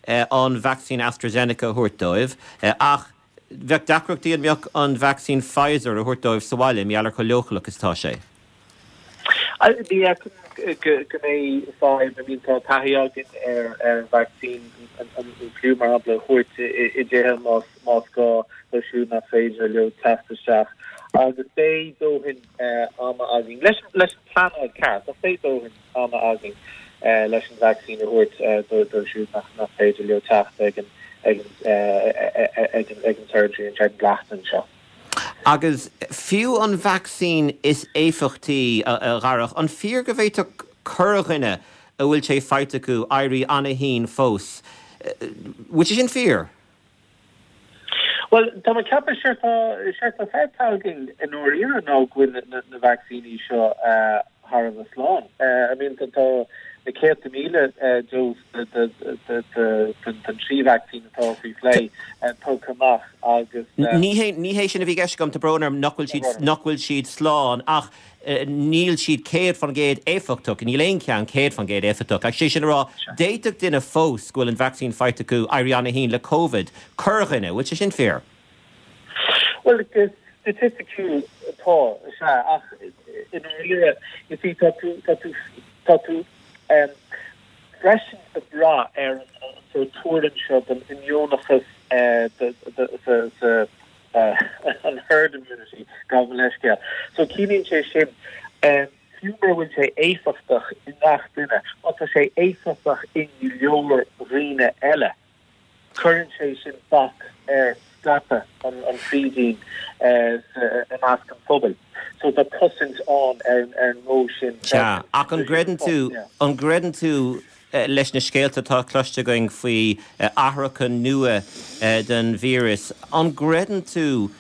an vacsaín AstraZeneca a thabhairt dóibh ach bheadh deacrachtaí an mbeadh an vacsaín Pfizer a thabhairt dóibh sa bhaile, mar gheall ar chomh leochaileach is atá sé. Ní fheicim go mbeidh fadhb. I mean tá taithí againn ar ar vacsaín an fliú mar shampla a thabhairt i dtithe más más gá dóibh siúd nach féidir leo teacht isteach. Agus beidh dóthain ama againn leis leis an pleanáil ceart ach beidh dóthain ama againn leis an vacsaín a thabhairt dóibh siúd nach nach féidir leo teacht ag an ag an ag an ag an surgery an tseachtain seo. Agus fiú an vacsaín is éifeachtaí, a Dharach, an fíor go bhféadfadh corrdhuine a bhfuil sé faighte acu éirí ana-thinn fós? Bhfuil sé sin fíor? Bhuel, tá mé ag ceapadh, séard tá, séard tá feicthe againn i ndáiríre ná go bhfuil na vacsaíní seo thar a bheith slán. I mean, tá na céadta míle dós den trí vacsaín atá faoi phlé tugtha amach agus. Ní hé, ní hé sin a bhí i gceist agam, tá brón orm nach bhfuil siad, nach bhfuil siad slán ach níl siad 100% éifeachtach, níl aon cheann 100% éifeachtach. Ach sé sin a rá, d'fhéadfadh duine fós go bhfuil an vacsaín faighte acu éirí ana-thinn le Covid, corrdhuine, bhfuil sé sin fíor? Bhuel, go staitisticiúil, tá. Tá, is ea, ach i ndáiríre, you see, tá tú, tá tú, tá tú freisin ag brath ar an sórt tuairim seo den imdhíonachas sa, an herd immunity, gabh mo leithscéal. So ciallaíonn sé sin, fiú mura bhfuil sé éifeachtach i ngach duine, má tá sé éifeachtach i go leor dhaoine eile, Cuireann sé sin bac ar scaipeadh an frídín i measc an phobail. So tá cosaint ann ar an modh sin freisin. Sea, ach an gcreideann tú, an gcreideann tú leis na scéalta atá cloiste againn faoi athracha nua den víreas, an gcreideann tú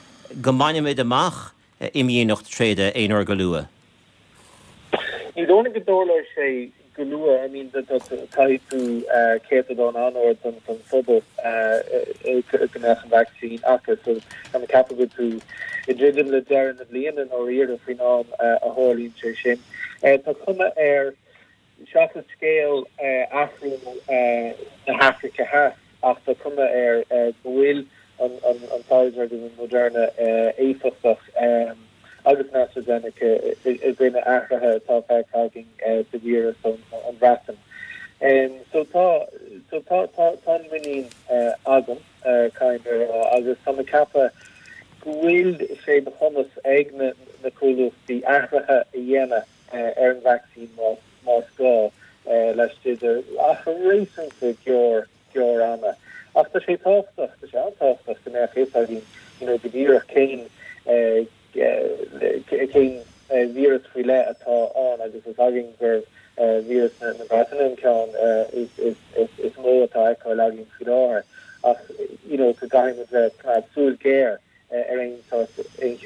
go mbainfimid amach imdhíonacht tréada aon uair go luath? Ní dóigh liom go dtarlóidh sé go luath. I mean, caithfidh tú céatadán an-ard den phobal go mbeadh an vacsaín acu. So tá mé ag ceapadh go bhfuil tú ag druidim le deireadh na bliana i ndáiríre faoin am a tharlaíonn sé sin. Tá cuma air Seachas scéal athrú na hAfraice Theas ach tá cuma air go bhfuil an Pfizer agus an Moderna éifeachtach agus an AstraZeneca i gcoinne athruithe atá feicthe againn sa víreas ón Bhreatain. So tá so tá tá tá an muinín agam, caithfidh mé a rá, agus tá mé ag ceapadh go bhfuil sé de chumas ag na comhlachtaí athruithe a dhéanamh ar an vacsaín más gá laistigh de achar réasúnta gearr gearr ama. Ach tá sé tábhachtach, tá sé an-tábhachtach go mbeadh fhios againn you know go díreach cén cén víreas faoi leith atá ann agus is againn gur víreas na Breataine an ceann is mó atá á fheiceáil againn faoi láthair ach you know go gcaithfidh muid bheith ag coimeád súil ghéar ar aon sórt, aon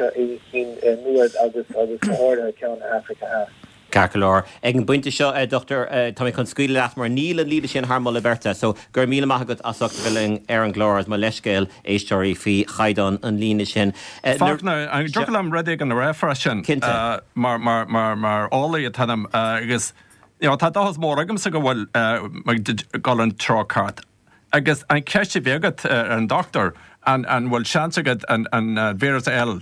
chinn nua agus agus go háirithe ceann na hAfraice Theas. Ceart go leor. Ag an bpointe seo, a Dhochtúir, tá mé chun scaoileadh leat mar níl an líne sin thar moladh beirte. So, go raibh míle maith agat as ucht a bheith linn ar an gclár agus mo leithscéal, éisteoirí, faoi chaighdeán an líne sin. Fachtna, an dtiocfadh liom rud éigin a rá freisin? Cinnte. Mar, mar, mar, mar eolaí atá ionam agus, you know, tá dóchas mór agamsa go bhfuil muid ag dul an treo ceart. Agus an cheist a bhí agat ar an dochtúir, an bhfuil seans agat an víreas a fháil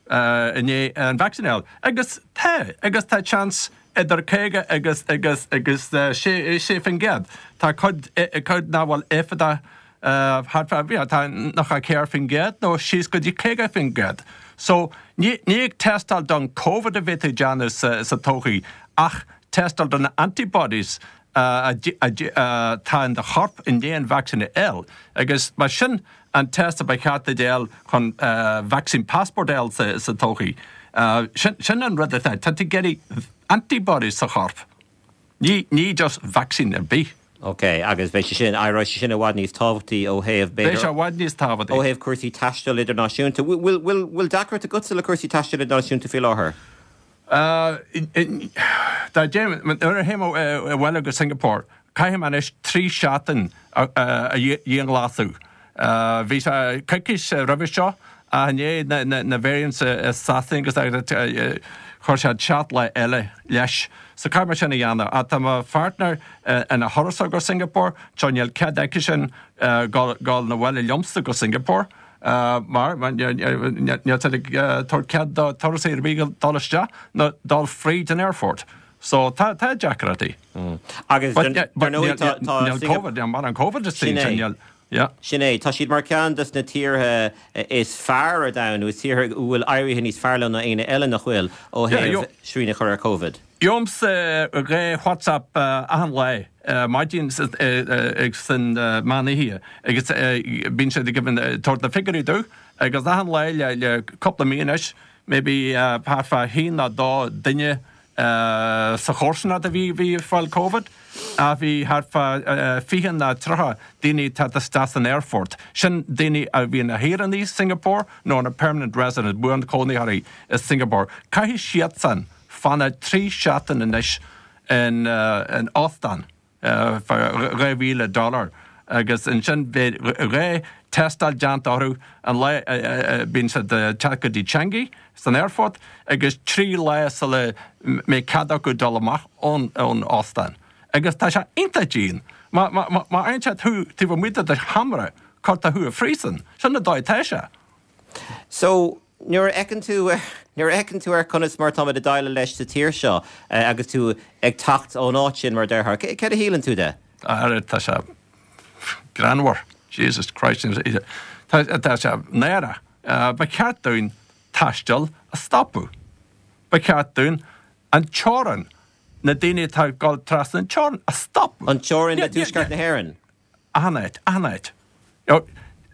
i ndiaidh an vacsaín a fháil? Agus tá, agus tá seans idir 50 agus agus agus 6%. Tá cuid cuid nach bhfuil éifeachtach thart fá, tá 94% nó síos go dtí 50%. So ní ní ag tástáil don Covid a bheidh tú ag déanamh sa sa todhchaí ach tástáil do na antibodies atá in do chorp i ndiaidh an vacsaín a fháil agus mar sin an test a ba cheart duit a fháil chun vaccine passport a fháil sa todhchaí. Sin an rud atá, tá tú ag iarraidh antibodies sa chorp, ní ní just vacsaín ar bith. Ok, agus beidh sé sin, éireoidh sé sin i bhfad níos tábhachtaí ó thaobh, b'fhéidir, Beidh sé i bhfad níos tábhachtaí. ó thaobh cúrsaí taistil idirnáisiúnta. Bhfuil, bhfuil, bhfuil deacracht agatsa le cúrsaí taistil idirnáisiúnta faoi láthair? Dá dtéim, nuair a théim abhaile go Singapore, caithfidh mé anois 3 seachtain a dhianghlasú. Bhí sé coicís roimhe seo ach i ndiaidh na variants i Sasana agus chuir siad 7 lá eile leis. So caithfidh mé sin a dhéanamh. Ach tá mo pháirtnéir ina thurasóir go Singapore, so níl cead aici-sin dul 'na bhaile liomsa go Singapore. Mar níl siad ag tabhairt cead do turasóirí ar bith dul isteach nó dul fríd an aerfort. So tá tá deacrachtaí. Agus dar ndóigh tá tá Níl Covid, níl mar an Covid is Sin é. níl yeah. Sin é. Tá siad mar ceann dos na tíortha is fearr ar domhan, nó is tíortha a bhfuil éirithe níos fearr leo ná éinne eile, nach bhfuil, ó thaobh srian a chur ar Covid. Gheobhaimse 2 WhatsApp achan lá, maidin agus san meán oíche, agus bíonn siad ag tabhairt na figiúirí domh, agus achan lá le cúpla mí anois, maybe thart fá haon nó dó duine sa chomharsanacht a bhí ag fáil Covid, ach bhí thart fá 20 nó 30 daoine ag teacht isteach san aerfort. Sin daoine a bhí ina shaoránaigh Singapore nó ina permanent residents, buanchónaitheoirí i Singapore. Caithfidh siadsan fanacht 3 seachtain anois in óstán fá 2,000 dollar agus ansin beidh 2 tástáil déanta orthu an lá a bíonn siad ag teacht go dtí Changi san aerfort agus 3 lá sula mbeidh cead acu dul amach ón óstán. Agus tá sé iontach dian. Má fhaigheann siad thú taobh amuigh de do sheomra, cuirtear thú i phríosún. Sin an dóigh atá sé. So. Nuair a fheiceann tú, nuair a fheiceann tú ar conas mar atáimid ag déileáil leis sa tír seo agus tú ag teacht ón áit sin, mar a déarfá, céard a shíleann tú de? Ara, tá sé greannmhar. Jesus Christ. Tá, tá sé náireach. Ba cheart dúinn taisteal a stopadh. Ba cheart dúinn an teorainn, na daoine atá ag dul trasna an teorainn a stopadh. An teorainn le Tuaisceart na hÉireann? Achan áit, achan áit.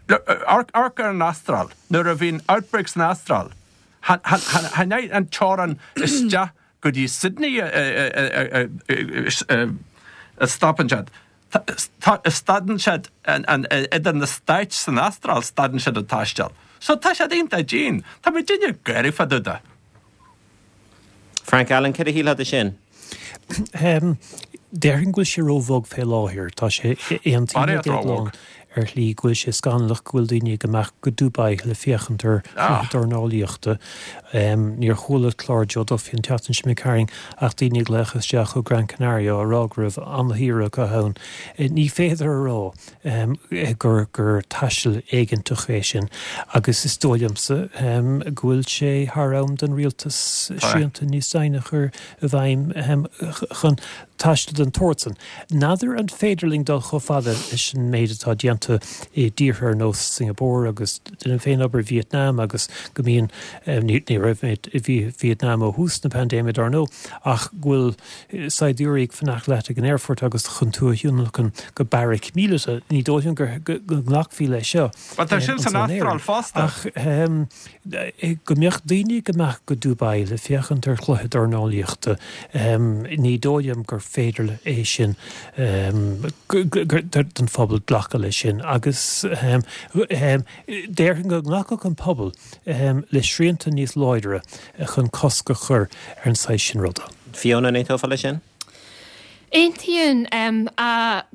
Amharc ar an Astráil, nuair a bhí an outbreak san Astráil, chan é an teorainn isteach go dtí Sydney a stopann siad. Stadann siad idir na stáit san Astráil, stadann siad an taisteal. So tá siad iontach dian. Tá muidinne ag gáire fá dtaobh de. Frank Allen, céard a shílfeá de sin? Déarfainn go bhfuil sé ró-bhog fé láthair. Tá sé, aontaím le Déaglán ar shlí go bhfuil sé scannalach go bhfuil daoine ag imeacht go Dubai le féachaint ar chluiche dornálaíochta. Níor chuala clár Joe Duffy an tseachtain seo imigh tharainn ach daoine ag glaoch isteach ó Gran Canaria á rá go raibh an-shaoire acu ann. Ní féidir a rá gur gur taisteal éigeantach é sin agus is dóigh liomsa go bhfuil sé thar am don rialtas srianta níos déine a chur i bhfeidhm chun taisteal den tsórt san. N'fheadar an féidir linn dul chomh fada leis an méid atá déanta i dtíortha ar nós Singapore agus déanaim féin obair i Vietnam agus go mbíonn, ní raibh mé i Vietnam ó thús na paindéime dar ndóigh, ach go bhfuil saighdiúirí ag fanacht leat ag an aerfort agus chun tú a thionlacan go beairic míleata. Ní dóigh liom go nglacfaí leis seo Bhuel tá sin san anso in Astráil Éirinn. fosta. Ach go mbeadh daoine ag imeacht go Dubai le féachaint ar chluiche dornálaíochta, ní dóigh liom gur féidir é sin don phobal glacadh leis sin. Agus déarfainn go nglacfadh an pobal le srianta níos láidre chun cosc a chur ar an saghas sin ruda. Fiona, an aontófá leis sin? Aontaím.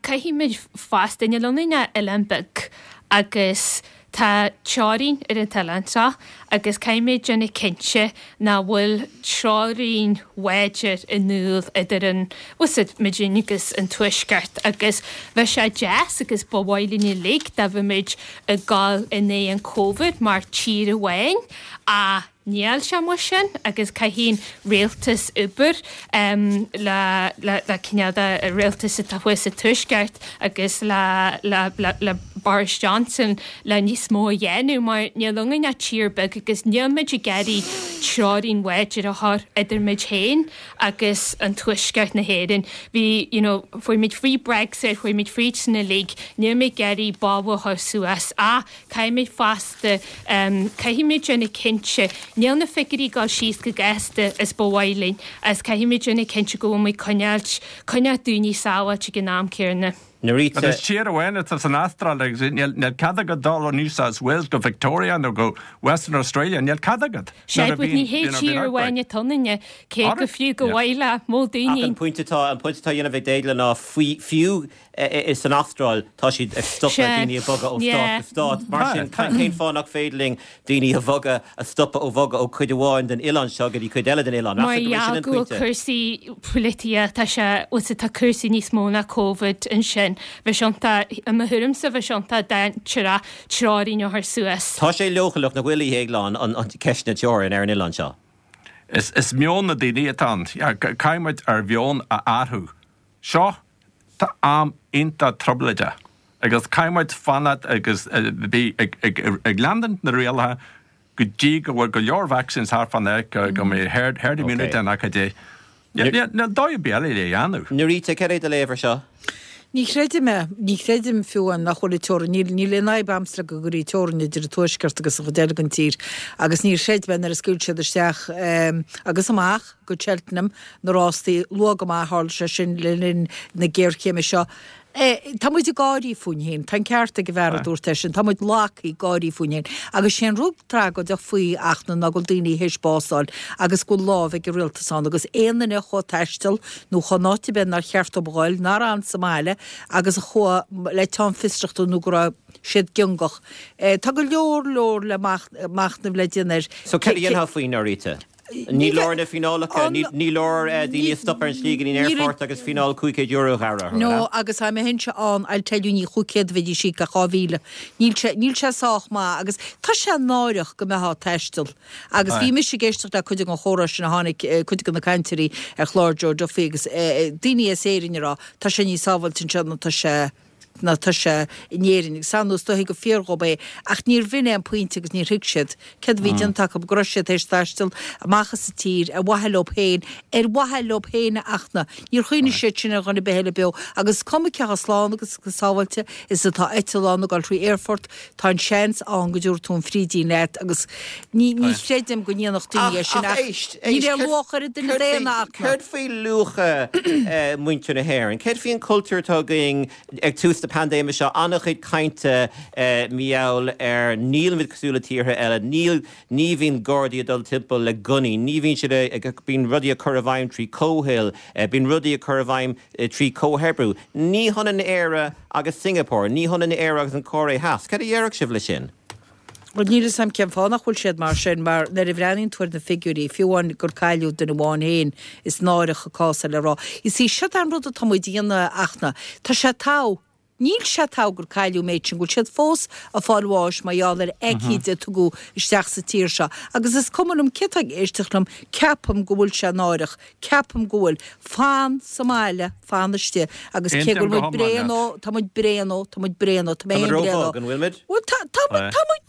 Caithfimid fosta, níl ionainn ach oileán beag agus tá teorainn ar an t-oileán seo agus caithfimid déanamh cinnte nach bhfuil teorainn láidir in iúl idir an, bhfuil 's a'd, muidinne agus an Tuaisceart agus bheadh sé deas agus ba mhaith linn uilig dá mbeimid ag dul in aghaidh an Covid mar tír amháin ach níl sé mar sin agus caithfidh an rialtas obair le le cineál de rialtas atá thuas sa Tuaisceart agus le le le le Boris Johnson le níos mó a dhéanamh mar níl ionainn ach tír beag agus níl muid ag iarraidh teorainn láidir a chur idir muid féin agus an Tuaisceart na hÉireann. Bhí you know fuair muid fríd Brexit, fuair muid fríd sin uilig, níl muid ag iarraidh balla a chur suas ach Caithfimid fosta, caithfimid déanamh cinnte, níl na figiúirí ag dul síos chomh gasta is ba mhaith linn agus caithfimid déanamh cinnte go bhfuil muid coinneáilt, coinneáil daoine sábháilte ag an am céanna. Norita. Is tír amháin atá san Astráil agus níl cead agat dul ó New South Wales go Victoria nó go Western Australia, níl cead agat. Sea, but ní hé tír amháin atá ionainne, cé go fiú go mhaith le mó daoine. Ach an pointe atá, an pointe atá á dhéanamh ag Déaglán ná fiú San Astráil, tá siad ag stopadh daoine ag bogadh ó stát go stát. Mar sin, cén fáth nach féidir linn daoine a bhogadh, a stopadh ó bhogadh ó cuid amháin den oileán seo go dtí cuid eile den oileán? Mar gheall go bhfuil cúrsaí polaitíochta, tá sé, bhfuil 's a'd, tá cúrsaí níos mó ná Covid ansin. Bheadh sé iontach, i mo thuairimse, bheadh sé iontach dainséarach teorainn a chur suas. Tá sé leochaileach, nach bhfuil, a Dhéagláin, an ceist na teorann ar an oileán seo? Is meon na daoine atá ann. Caithfidh muid ár mheon a athrú. Seo, tá am iontach trioblóideach agus caithfidh muid fanacht agus bheith ag leanúint na rialacha go dtí go bhfuil go leor vaccines thart fán áit, go mbeidh herd herd immunity ann acu dé. Níl dóigh ar bith eile le dhéanamh. Norita, cad é do léamh ar seo? Ní chreidim é. Ní chreidim fiú amháin nach bhfuil an teorainn, níl, níl aon fhadhb a'msa le go gcuirfí teorainn idir an Tuaisceart agus an chuid eile den tír agus níor chreid mé nuair a scaoil siad isteach agus amach go Cheltenham na rástaí luath go maith, tharla sé sin le linn na géarchéime seo. Tá muid ag gáirí fúinn féin, tá an ceart ag an bhfear a dúirt é sin, tá muid lagtha ag gáirí fúinn féin. Agus sé an rud tragóideach faoi Fhachtna ná go bhfuil daoine théis bás a fháil agus go bhfuil lámh ag an rialtas ann agus aon duine a chuaigh ag taisteal nó chuaigh in áit ar bith nár cheart dóibh a ghoil, nár fhan sa mbaile agus a chuaigh le teann fiosrachta nó go raibh siad giongach. Tá go leor leor le machnamh le déanamh air. So céard a dhéanfá faoi, Norita? Ní leor na fíneálacha, ní leor daoine a stop ar an slí go dtí an aerfort agus fíneáil €500 a ghearradh orthu, No, agus dá mbeinnse ann, I'll tell you, ní 500 a bheidís ag íoc ach 2,000. Níl sé, níl sé sách maith agus tá sé náireach go mbeifeá ag taisteal. Agus bhí mise ag éisteacht le cuid den chomhrá sin a tháinig, cuid de na cainteoirí ar chlár Joe Duffy agus daoine as Éirinn ag rá, tá sé níos sábháilte anseo ná tá sé, ná tá sé in Éirinn agus ar ndóigh is dóichí gur fíor dhób é ach níor bh'in é an pointe agus níor thuig siad céard a bhí déanta acu, go raibh siad théis taisteal amach as an tír ar mhaithe leo féin, ar mhaithe leo féin a Fhachtna. Níor chuimhnigh siad sin ar dhuine ar bith eile beo agus is cuma cé chomh slán agus chomh sábháilte is atá eitleán ag dul thrí aerfort, tá an seans ann go dtabharfaidh tú an frídín leat agus ní ní chreidim go ndéanfadh daoine é sin ach éist, níl aon luach ar an duine daonna a Fhachtna. Céard faoi luacha muintir na hÉireann? Céard faoi an cultúr atá againn ag tús na paindéime seo? An-chuid cainte mar gheall ar nílimid cosúil le tíortha eile, níl, ní bhíonn Gardaí ag dul timpeall le gunnaí, ní bhíonn siad ag, bíonn rudaí á cur i bhfeidhm trí comhthoil, bíonn rudaí á cur i bhfeidhm trí comhoibriú. Ní hionann Éire agus Singapore, ní hionann Éire agus an Chóiré Theas. Céard a dhéarfadh sibh leis sin? Bhuel, níl 'fhios a'm cén fáth nach bhfuil siad mar sin, mar nuair a bhreathnaíonn tú ar na figiúirí, fiú amháin gur cailleadh duine amháin féin, is náireach an cás é le rá. You see, siod é an rud atá muid a dhéanamh, a Fhachtna. Tá sé togha. Níl sé togha gur cailleadh an méid sin, go bhfuil siad fós ag fáil bháis mar gheall ar aicíd a tugadh isteach sa tír seo. Agus is cuma liom cé atá ag éisteacht liom, ceapaim go bhfuil sé náireach. Ceapaim go bhfuil. Fan sa mbaile, fan istigh. Agus cé go Aontaím bhfuil go muid hiomlán bréan leat. ó, tá muid bréan ó, tá muid bréan ó, tá mé Tá muid féin bréan ó. róbhog, an bhfuil muid? Bhuel, tá, tá muid, tá muid,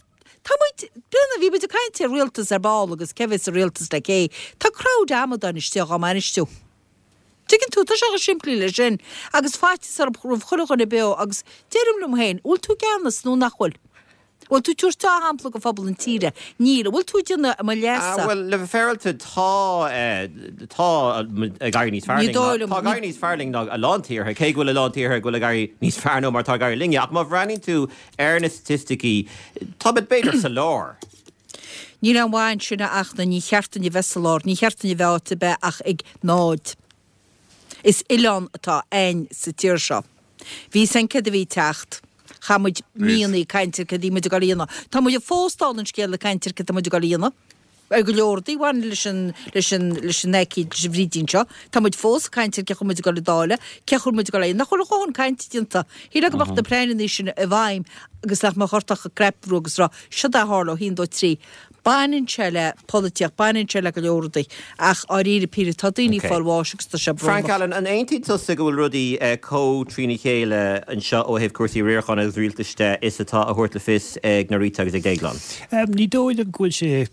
tá muid, bréan ó, bhí muid ag caint ar rialtas ar ball agus cé bheas sa rialtas le cé. Tá crowd amadáin istigh dhá mbainistiú. Tuigeann tú, tá sé chomh simplí le sin. Agus faitíos orthu roimh chuile dhuine beo agus deirim liom féin, bhfuil tú i gceannas nó nach bhfuil? Bhfuil tú ag tabhairt dea-shampla go phobal an tíre? Níl. An bhfuil tú ag déanamh mo leasa? Bhuel, le bheith féaráilte, tá, tá ag éirí níos fearr Ní linn ná, dóigh liom. tá ag éirí níos fearr linn ná a lán tíortha, cé go bhfuil a lán tíortha go bhfuil ag éirí níos fearr ná mar atá ag éirí linne. Ach má bhreathnaíonn tú ar na staitisticí, táimid b'fhéidir sa lár. Níl aon mhaith ansin a Fhachtna, ní cheart dúinn a bheith sa lár, ní cheart dúinn a bheith áit ar bith ach ag náid. Is oileán atá a'ainn sa tír seo. Bhí 'fhios a'inn céard a bhí ag teacht. Chaith muid míonna ag caint ar céard a bhí muid ag dul a dhéanamh. Tá muid fós dála an scéil ag caint ar céard tá muid ag dul a dhéanamh. Ar go leor rudaí a bhaineann leis an, leis an, leis an aicíd, leis an bhfrídín seo. Tá muid fós ag caint ar cén chaoi muid ag dul a dháileadh, cén chaoi muid ag dul a dhéanamh. Nach bhfuil a dhóthain cainte déanta. Shílfeá go mbeadh na pleananna sin i bhfeidhm agus nach mbeadh ort ach an crap a bhrú agus rá, siod é a tharla ó haon, dó, trí. Baineann sé le polaitíocht, baineann sé le go leor rudaí, ach dháiríre píre, tá daoine ag fáil bháis agus tá sé Frank brónach. Allen, an aontaíonn tusa go bhfuil rudaí chomh trína chéile anseo ó thaobh cúrsaí riaracháin agus rialtais de is atá á thabhairt le fios ag Norita agus ag Déaglán? Ní dóigh liom go bhfuil sé,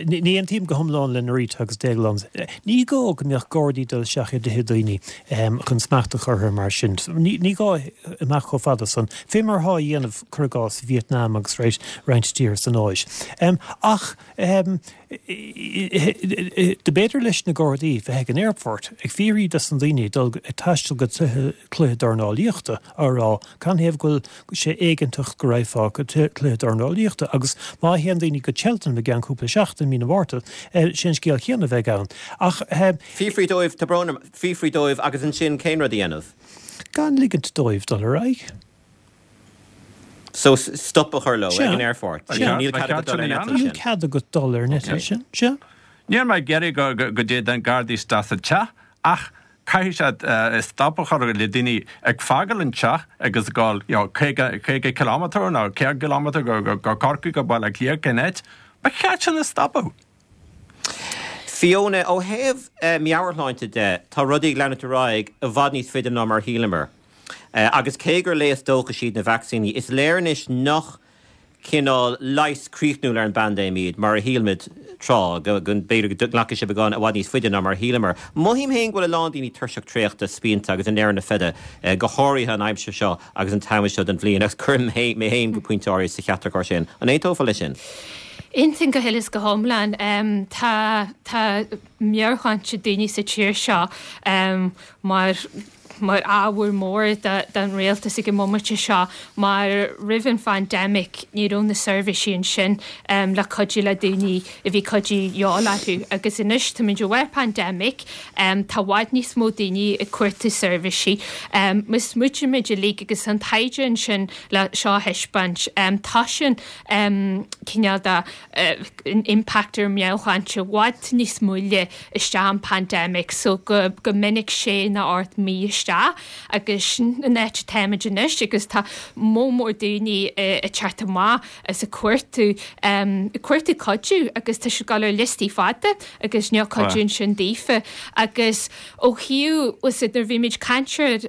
ní aontaím go hiomlán le Norita agus Déaglán. Ní gá go mbeadh Gardaí ag dul isteach i dtithe daoine chun smacht a chur orthu mar sin. Ní gá imeacht chomh fada san. Fé mar atá á dhéanamh. cuir i gcás, Vietnam agus roinnt tíortha san Áis. Ach do b'fhéidir leis na Gardaí bheith ag an aerfort ag fiafraí dos na daoine dul ag taisteal go cluiche dornálaíochta á rá canathaobh go bhfuil sé éigeantach go raghfá go cluiche dornálaíochta agus má théann daoine go Cheltenham i gceann cúpla seachtain, mí na Márta, sé an scéal céanna a bheidh ann. Ach. Fiafraí dóibh, tá brón orm, fiafraí dóibh agus ansin cén rud a dhéanamh? Gan ligint dóibh dul ar aghaidh. So stop a chur leo ag an aerfort. Níl cead agat dul ar an eitilt sin. Níl cead agat dul ar an eitilt sin. Sea. Níl mé ag iarraidh go dtéann na Gardaí isteach sa teach ach caithfidh siad stop a chur le daoine ag fágáil an teach agus ag dul you know 50 50 kilometre nó 100 kilometre go go Corcaigh go Baile Átha Cliath cén áit. Ba cheart sin a stopadh. Fiona, Ó thaobh meabhairshláinte de, tá rudaí ag leanúint ar aghaidh i bhfad níos faide ná mar a shíleamar. Agus cé gur léas dóchais iad na vacsaíní, is léir anois nach cineál leigheas críochnúil ar an bpaindéim iad, mar a shíl muid tráth, go b'fhéidir go nglacfaidh sé beagán i bhfad níos faide ná mar a shíleamar. Mothaím féin go bhfuil a lán daoine tuirseach traochta, spíonta agus i ndeireadh na feide, go háirithe an aimsir seo agus an t-am seo den bhliain, agus cuirim mé féin go pointe áirithe sa chatagóir sin. An aontófá leis sin? Aontaím go huile is go hiomlán. Tá, tá meabhairshláinte daoine sa tír seo mar. mar ábhar mór don rialtas ag an mbomaite seo mar roimh an phaindemic ní raibh na seirbhísí ansin le cuidiú le daoine a bhí cuidiú de dhíobháil orthu agus anois táimid i bharr pandemic tá i bhfad níos mó daoine ag cuartú seirbhísí. Má smaoitímid uilig agus an taighde ansin le seo a thaispeáint toisíonn cineál de impact ar meabhairshláinte i bhfad níos moille isteach an pandemic so go go minic sé nó 8 mí isteach agus sin an áit atáimid anois agus tá moll mór daoine ag teacht amach is ag cuartú ag cuartú cuidiú agus tá siad ag dul ar liostaí fada agus níl cuidiú ansin daofa agus ó thaobh bhfuil nuair a bhímid ag caint ar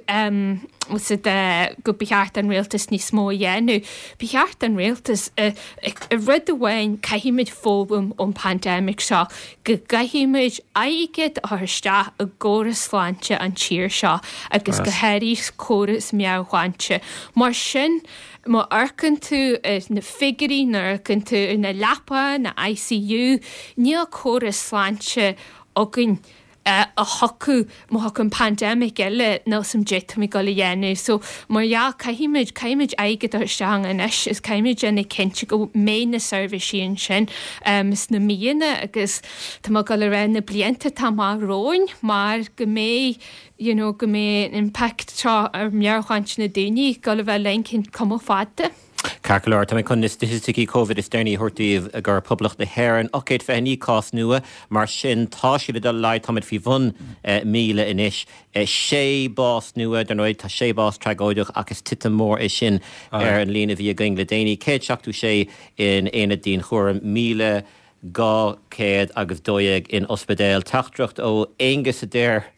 bhfuil go ba cheart don rialtas níos mó a dhéanamh ba cheart don rialtas rud amháin caithfimid foghlaim ón pandemic seo go gcaithfimid airgead a chur isteach i gcóras sláinte an tír seo agus go háirithe córas meabhairshláinte mar sin Má amharcann tú ar na figiúirí, nuair a amharcann tú ar na leapacha, na ICU, níl córas sláinte againn a thiocfadh, má thiocfadh an pandemic eile, níl 's a'm caidé táimid ag dul a dhéanamh. So, mar dhea, caithfimid, caithfimid airgead a chur isteach ann anois is caithfimid déanamh cinnte go mbeidh na seirbhísí ansin sna míonna agus tá mé ag dul a rá na blianta atá amach romhainn mar go mbeidh you know, go mbeidh an impact seo ar mheabhairshláinte na daoine ag dul a bheith linn ceann cuma fada. Ceart go leor, tá mé chun na staitisticí Covid is deireanaí a thabhairt daoibh go Poblacht na hÉireann, 829 cás nua, mar sin tá siad ag dul i laghad, táimid faoi bhun 1,000 anois. 6 bás nua, dar ndóigh tá 6 bás tragóideach ach is titim mór é sin ar an líon a bhí againn le déanaí. 176 in aonad dianchúraim, 1,000. 212 in ospidéal. Teachtaireacht ó Aonghus a deir,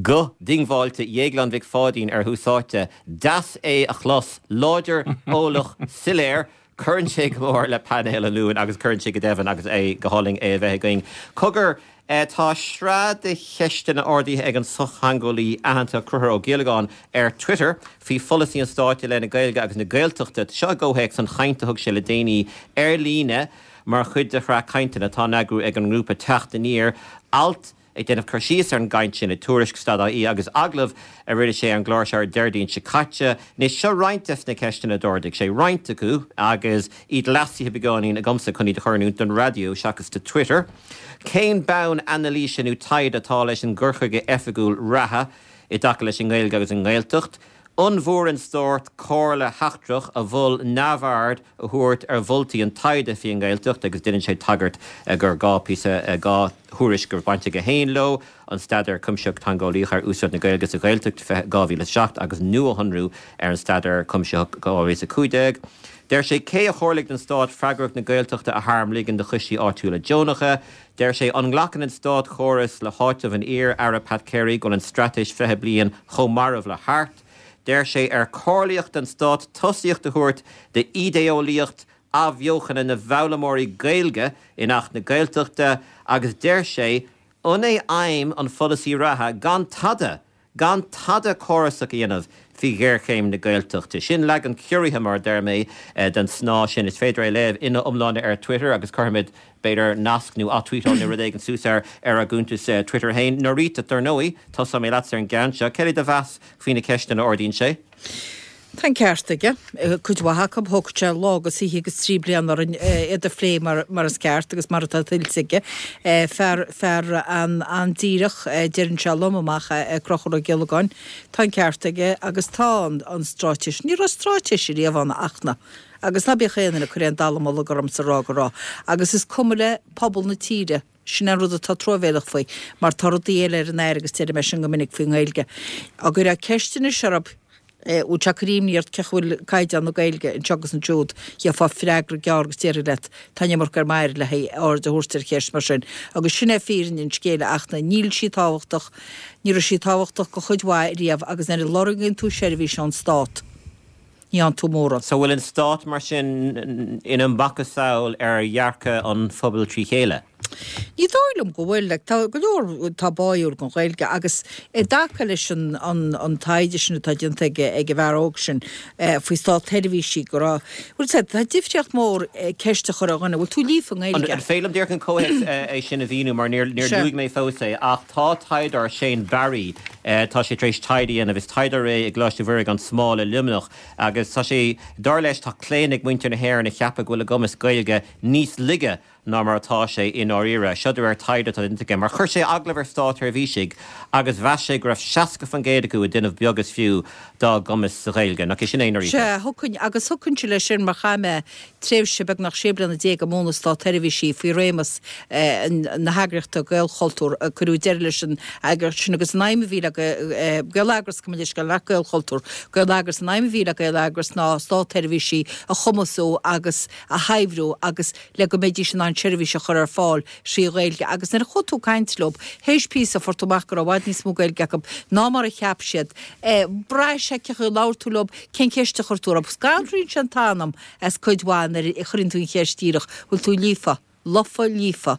Guth diongbháilte Dhéagláin Mhic Pháidín ar Thús Áite. Deas é a chlos. Láidir, eolach, soiléir. Cuireann sé go mór le painéal an Luain agus cuireann sé go deimhin agus é go hálainn é a bheith againn. Cogar, tá sraith de cheisteanna ardaithe ag an sochtheangeolaí aitheanta Conchúr Ó Giollagáin ar Twitter faoi pholasaí an stáit i leith na Gaeilge agus na Gaeltachta. Seo i gcomhthéacs an chaint a thug sé le déanaí ar líne Mar chuid de shraith cainteanna atá á n-eagrú ag an ngrúpa Teacht Aniar, alt ag déanamh cur síos ar an gcaint sin i Tuairisc, stad.ie agus agallamh a rinne sé ar an gclár seo ar Déardaoin seo caite. Anois, seo roinnt des na ceisteanna a d'ardaigh sé, roinnt acu agus iad leasaithe beagáinín agamsa chun iad a chur in oiriúint don raidió seachas do Twitter. Cén bonn anailíse nó taighde atá leis an gcur chuige oifigiúil reatha i dtaca leis an nGaeilge agus an nGaeltacht? An bhfuair an Stát comhairle sheachtrach a mhol neamhaird a thabhairt ar mholtaí an taighde faoin nGaeltacht agus déanann sé tagairt gur 2 píosa, 2 thuairisc go raibh baint aige féin leo, an Staidéar Cuimsitheach Teangeolaíoch ar Úsáid na Gaeilge sa Ghaeltacht, 2007 agus nuashonrú ar an Staidéar Cuimsitheach 2015. Deir sé, cé a chomhairligh don Stát freagracht na Gaeltachta a tharmligean do choistí áitiúla deonacha? Deir sé, an nglacann an státchóras le háiteamh an iar-Aire Pat Carey go bhfuil an Straitéis 20 Bliain chomh marbh le hArt? Deir sé, ar comhairlíodh don stát tosaíocht a thabhairt d'ídéeolaíocht athbheochana na bhfoghlaimeoirí Gaeilge in Acht na Gaeltachta? Agus deir sé, an é aidhm an pholasaí reatha gan tada gan tada córasach a dhéanamh faoi ghéarchéim na Gaeltachta. Sin leagan ciorraithe, mar a deir mé, den snáth sin. Is féidir é a léamh ina iomláine ar Twitter agus cuirfimid, b'fhéidir, nasc nó ath-tweetáil nó rud éigin suas air ar ár gcuntas Twitter féin. Norita, dar ndóigh, tosóidh mé leatsa ar an gceann seo. Céard é do mheas faoi na ceisteanna a ardaíonn sé? Tá an ceart aige. Cuid mhaith acu, thógfadh sé lá agus oíche agus 3 bliana orainn iad a phlé mar is ceart agus mar atá tuillte aige. Fear, fear an-díreach, deireann sé lom amach é Conchúr Ó Giollagáin. Tá an ceart aige agus tá an stráitéis, ní raibh stráitéis ariamh ann ach na, agus ná bíodh aon duine ag cur aon dallamullóg ormsa ag rá go raibh. Agus is cuma le pobal na tíre. Sin an rud atá truamhéalach faoi, mar tá rudaí eile ar an aer agus deirim é sin go minic faoin nGaeilge. Dá gcuirfeá ceist anois orthu, bhfuil sé ag cur imní ort cén chaoi a bhfuil caighdeán na Gaeilge anseo agus ansiúd, gheofá freagra gearr agus déarfainn leat, tá an iomarca ar m'aire le haghaidh aird a thabhairt ar cheist mar sin. Agus sin é fírinne an scéil ach níl sí tábhachtach, ní raibh sí tábhachtach do chuid mhaith riamh agus nuair a lorgaíonn tú seirbhís ón stát, ní fhaigheann tú mórán. So bhfuil an stát mar sin ina macasamhail ar dhearcadh an phobail trí chéile? Ní dóigh liom go bhfuil. Like, tá go leor atá báúil don Ghaeilge agus i dtaca leis an, an, an taighde sin atá déanta ag, ag an bhfear óg sin faoi státsheirbhísigh go raibh, bhuel, tá, tá difríocht mhór ceist a chur ar dhuine, bhfuil tú líofa i nGaeilge? An féidir liom díreach an comhthéacs é sin a mhíniú mar níor, níor luaigh mé fós é ach tá taighdeoir, Shane Barry, tá sé tar éis taighde a dhéanamh, is taighdeoir é i gColáiste Mhuire gan Smál i Luimneach agus tá sé, dar leis tá claonadh ag muintir na hÉireann a cheapadh go bhfuil a gcumas Gaeilge níos laige ná mar atá sé i ndáiríre. Seo de réir taighde atá déanta aige, mar chuir sé agallamh ar státsheirbhísigh agus mheas sé go raibh 60% acu ag déanamh beag is fiú dá gcumas sa Ghaeilge. Nach é sin é i ndáiríre? Sea, thiocfainn, agus thiocfainnse leis sin mar chaith mé tréimhse beagnach sé bliana déag ag múineadh státsheirbhísigh faoi réimeas na heagraíochta Gaelchultúr. Cuireadh deireadh leis an eagraíocht sin agus an aidhm a bhí le Gaeleagras, gabh mo leithscéal, nach Gaelchultúr, Gaeleagras, an aidhm a bhí le Gaeleagras ná státsheirbhísigh a chumasú agus a shaibhriú agus le go mbeidís in ann seirbhís a chur ar fáil thrí Ghaeilge agus nuair a chuaigh tú ag caint leo, théis píosa fuair tú amach go raibh i bhfad níos mó Gaeilge acu ná mar a cheap siad. Bhraith sé cén chaoi a labhair tú leo, cén cheist a chuir tú orthu. Scanraíonn sé an t-anam as cuid mhaith nuair a chuireann tú an cheist díreach, bhfuil tú líofa? Lofa líofa.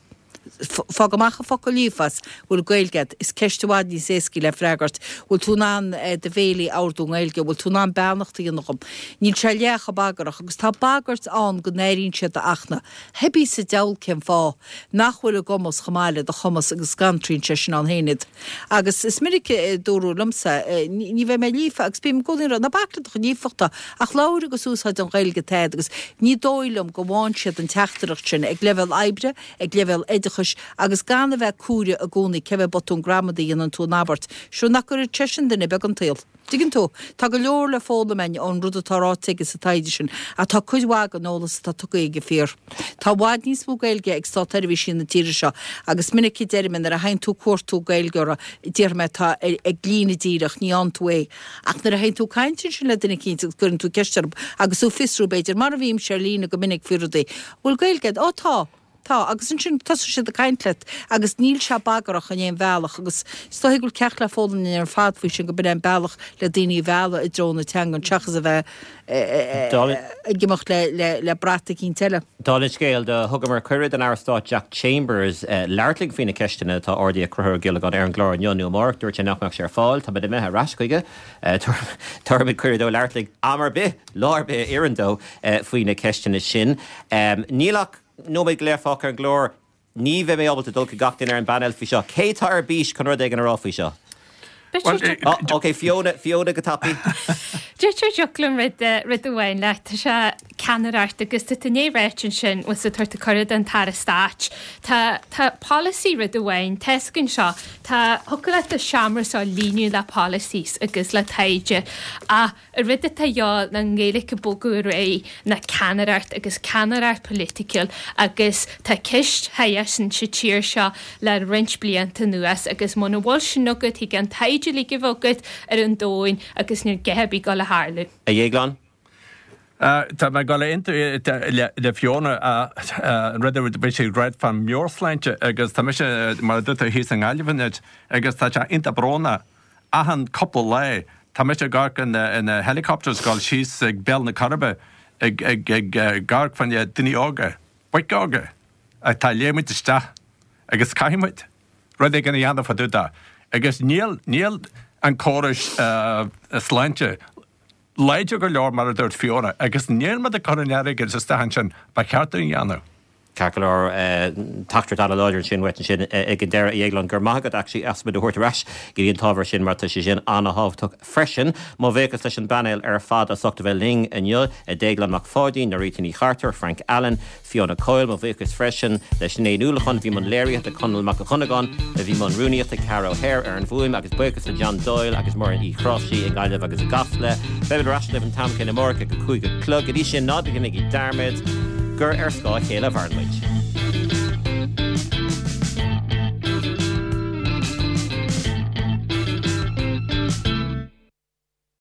Fág amach an focal líofa as, bhfuil Gaeilge agat? Is ceist i bhfad níos éascaí le freagairt. Bhfuil tú in ann do bhéilí a ordú i nGaeilge? Bhfuil tú in ann beannacht a dhéanamh dhom? Níl sé leath chomh bagrach agus tá bagairt ann go n-airíonn siad a Fhachtna. Cibé sa diabhal cén fáth nach bhfuil a gcumas chomh maith le do chumas agus scanraíonn sé sin ann féin iad. Agus is minic a dúradh liomsa, ní bheidh mé líofa agus bím i gcónaí ag rá, ná bac le do chuid líofachta ach labhair agus úsáid an Ghaeilge atá agat agus ní dóigh liom go bhfaigheann siad an teachtaireacht sin ag leibhéal oibre, ag leibhéal oideachais agus gan a bheith cúramach i gcónaí cé mhéad botún gramadaí a dhéanann tú in abairt. Sure nach gcuirfeadh sé sin duine beag an tsaol. Tuigeann tú? Tá go leor le foghlaim againn ón rud atá ráite aige sa taighde sin, ach tá cuid mhaith den eolas atá tugtha aige fíor. Tá i bhfad níos mó Gaeilge ag státsheirbhísigh na tíre seo, agus is minic a deirim nuair a théann tú ag cuartú Gaeilgeora, déarfaidh mé atá ag líne díreach, ní fhaigheann tú é. Ach nuair a théann tú ag caint ansin le duine eicínt agus cuireann tú ceist orthu, agus tú ag fiosrú b'fhéidir, mar a bhímse ar líne go minic faoi rudaí, bhfuil Gaeilge agat? Ó tá! Tá, agus ansin tosaíonn siad ag caint leat agus níl sé bagrach in aon bhealach agus is dóigh go bhfuil ceacht le foghlaim againn ar fad faoi sin go b'in é an bealach le daoine a mhealladh i dtreo na teangan seachas a bheith ag imeacht le brat eicínt eile. Dála an scéil, do thugamar cuireadh don Aire Stáit Jack Chambers labhairt linn faoi na ceisteanna atá ardaithe ag Conchúr Ó Giollagáin ar an gclár inniu nó amárach. Dúirt sé nach mbeadh sé ar fáil. Táimid imithe ar ais chuige. Tabharfaimid cuireadh dó labhairt linn am ar bith, lá ar bith a oireann dó faoi na ceisteanna sin. Níl ach nóiméad go leith fágtha ar an gclár. Ní bheidh mé ábalta dul chuig gach duine ar an bpainéal faoi seo. Cé tá ar bís chun rud éigin a rá faoi seo? Ok, Fiona, Fiona go tapaidh. Deirtear dtiocfadh liom rud, rud amháin leat. Tá sé ceannaireacht agus tá tú i ndiaidh ráit ansin, bhfuil tú ag tabhairt cuireadh don tAire Stáit. Tá, tá polasaí rud amháin, tá fhios againn seo, tá, thiocfadh leat do seomra seo a líonadh le policies agus le taighde ach An rud atá a dhíobháil ná an Ghaeilge ag bogadh ar aghaidh ná ceannaireacht agus ceannaireacht polaitiúil agus tá ceist sin sa tír seo le roinnt blianta anuas agus muna bhfuil sin agat thig an taighde uilig a bheith agat ar an domhan agus níl a dhath ar bith ag dul a tharlú. A Dhéagláin? Tá mé ag dul a aontú le Fiona an rud a bhí sí ag ráit fán meabhairshláinte agus tá mise mar a dúirt tú thíos i nGaillimh anois agus tá sé iontach brónach Achan cúpla lá, tá mise ag amharc ar na helicopters ag dul síos ag Béal na Coiribe ag ag ag amharc fá choinne daoine óga, boic óga, atá ag léimint isteach agus caithfidh muid rud éigin a dhéanamh fá dtaobh de. Agus níl níl an córas sláinte láidir go leor mar a dúirt Fiona agus níl muid ag cur an airgid isteach ansin ba cheart dúinn a dhéanamh. Ceart go leor, teachtaireacht an-láidir ansin uait ansin ag an deireadh, a Dhéagláin. Go raibh maith agat actually as muid a thabhairt ar ais go dtí an t-ábhar sin mar tá sé sin an-thábhachtach freisin. Mo bhuíochas leis an bpainéal ar fad as ucht a bheith linn inniu, Déaglán Mac Pháidín, Norita Ní Chartúir, Frank Allen, Fiona Coyle. Mo bhuíochas freisin le Sinéad Ní Uallacháin a bhí i mbun léirithe, Conall Mac Dhonnagáin a bhí i mbun rúnaíochta, Ceara O'Hare ar an bhfuaim agus buíochas le John Doyle agus Muireann Uí Chráimhsí i nGaillimh agus i gCasla. Beimid ar ais libh an t-am céanna amárach ag a 5 a chlog. Go dtí sin, ná déanaigí dearmad gur ar scáth a chéile a mhaireann muid.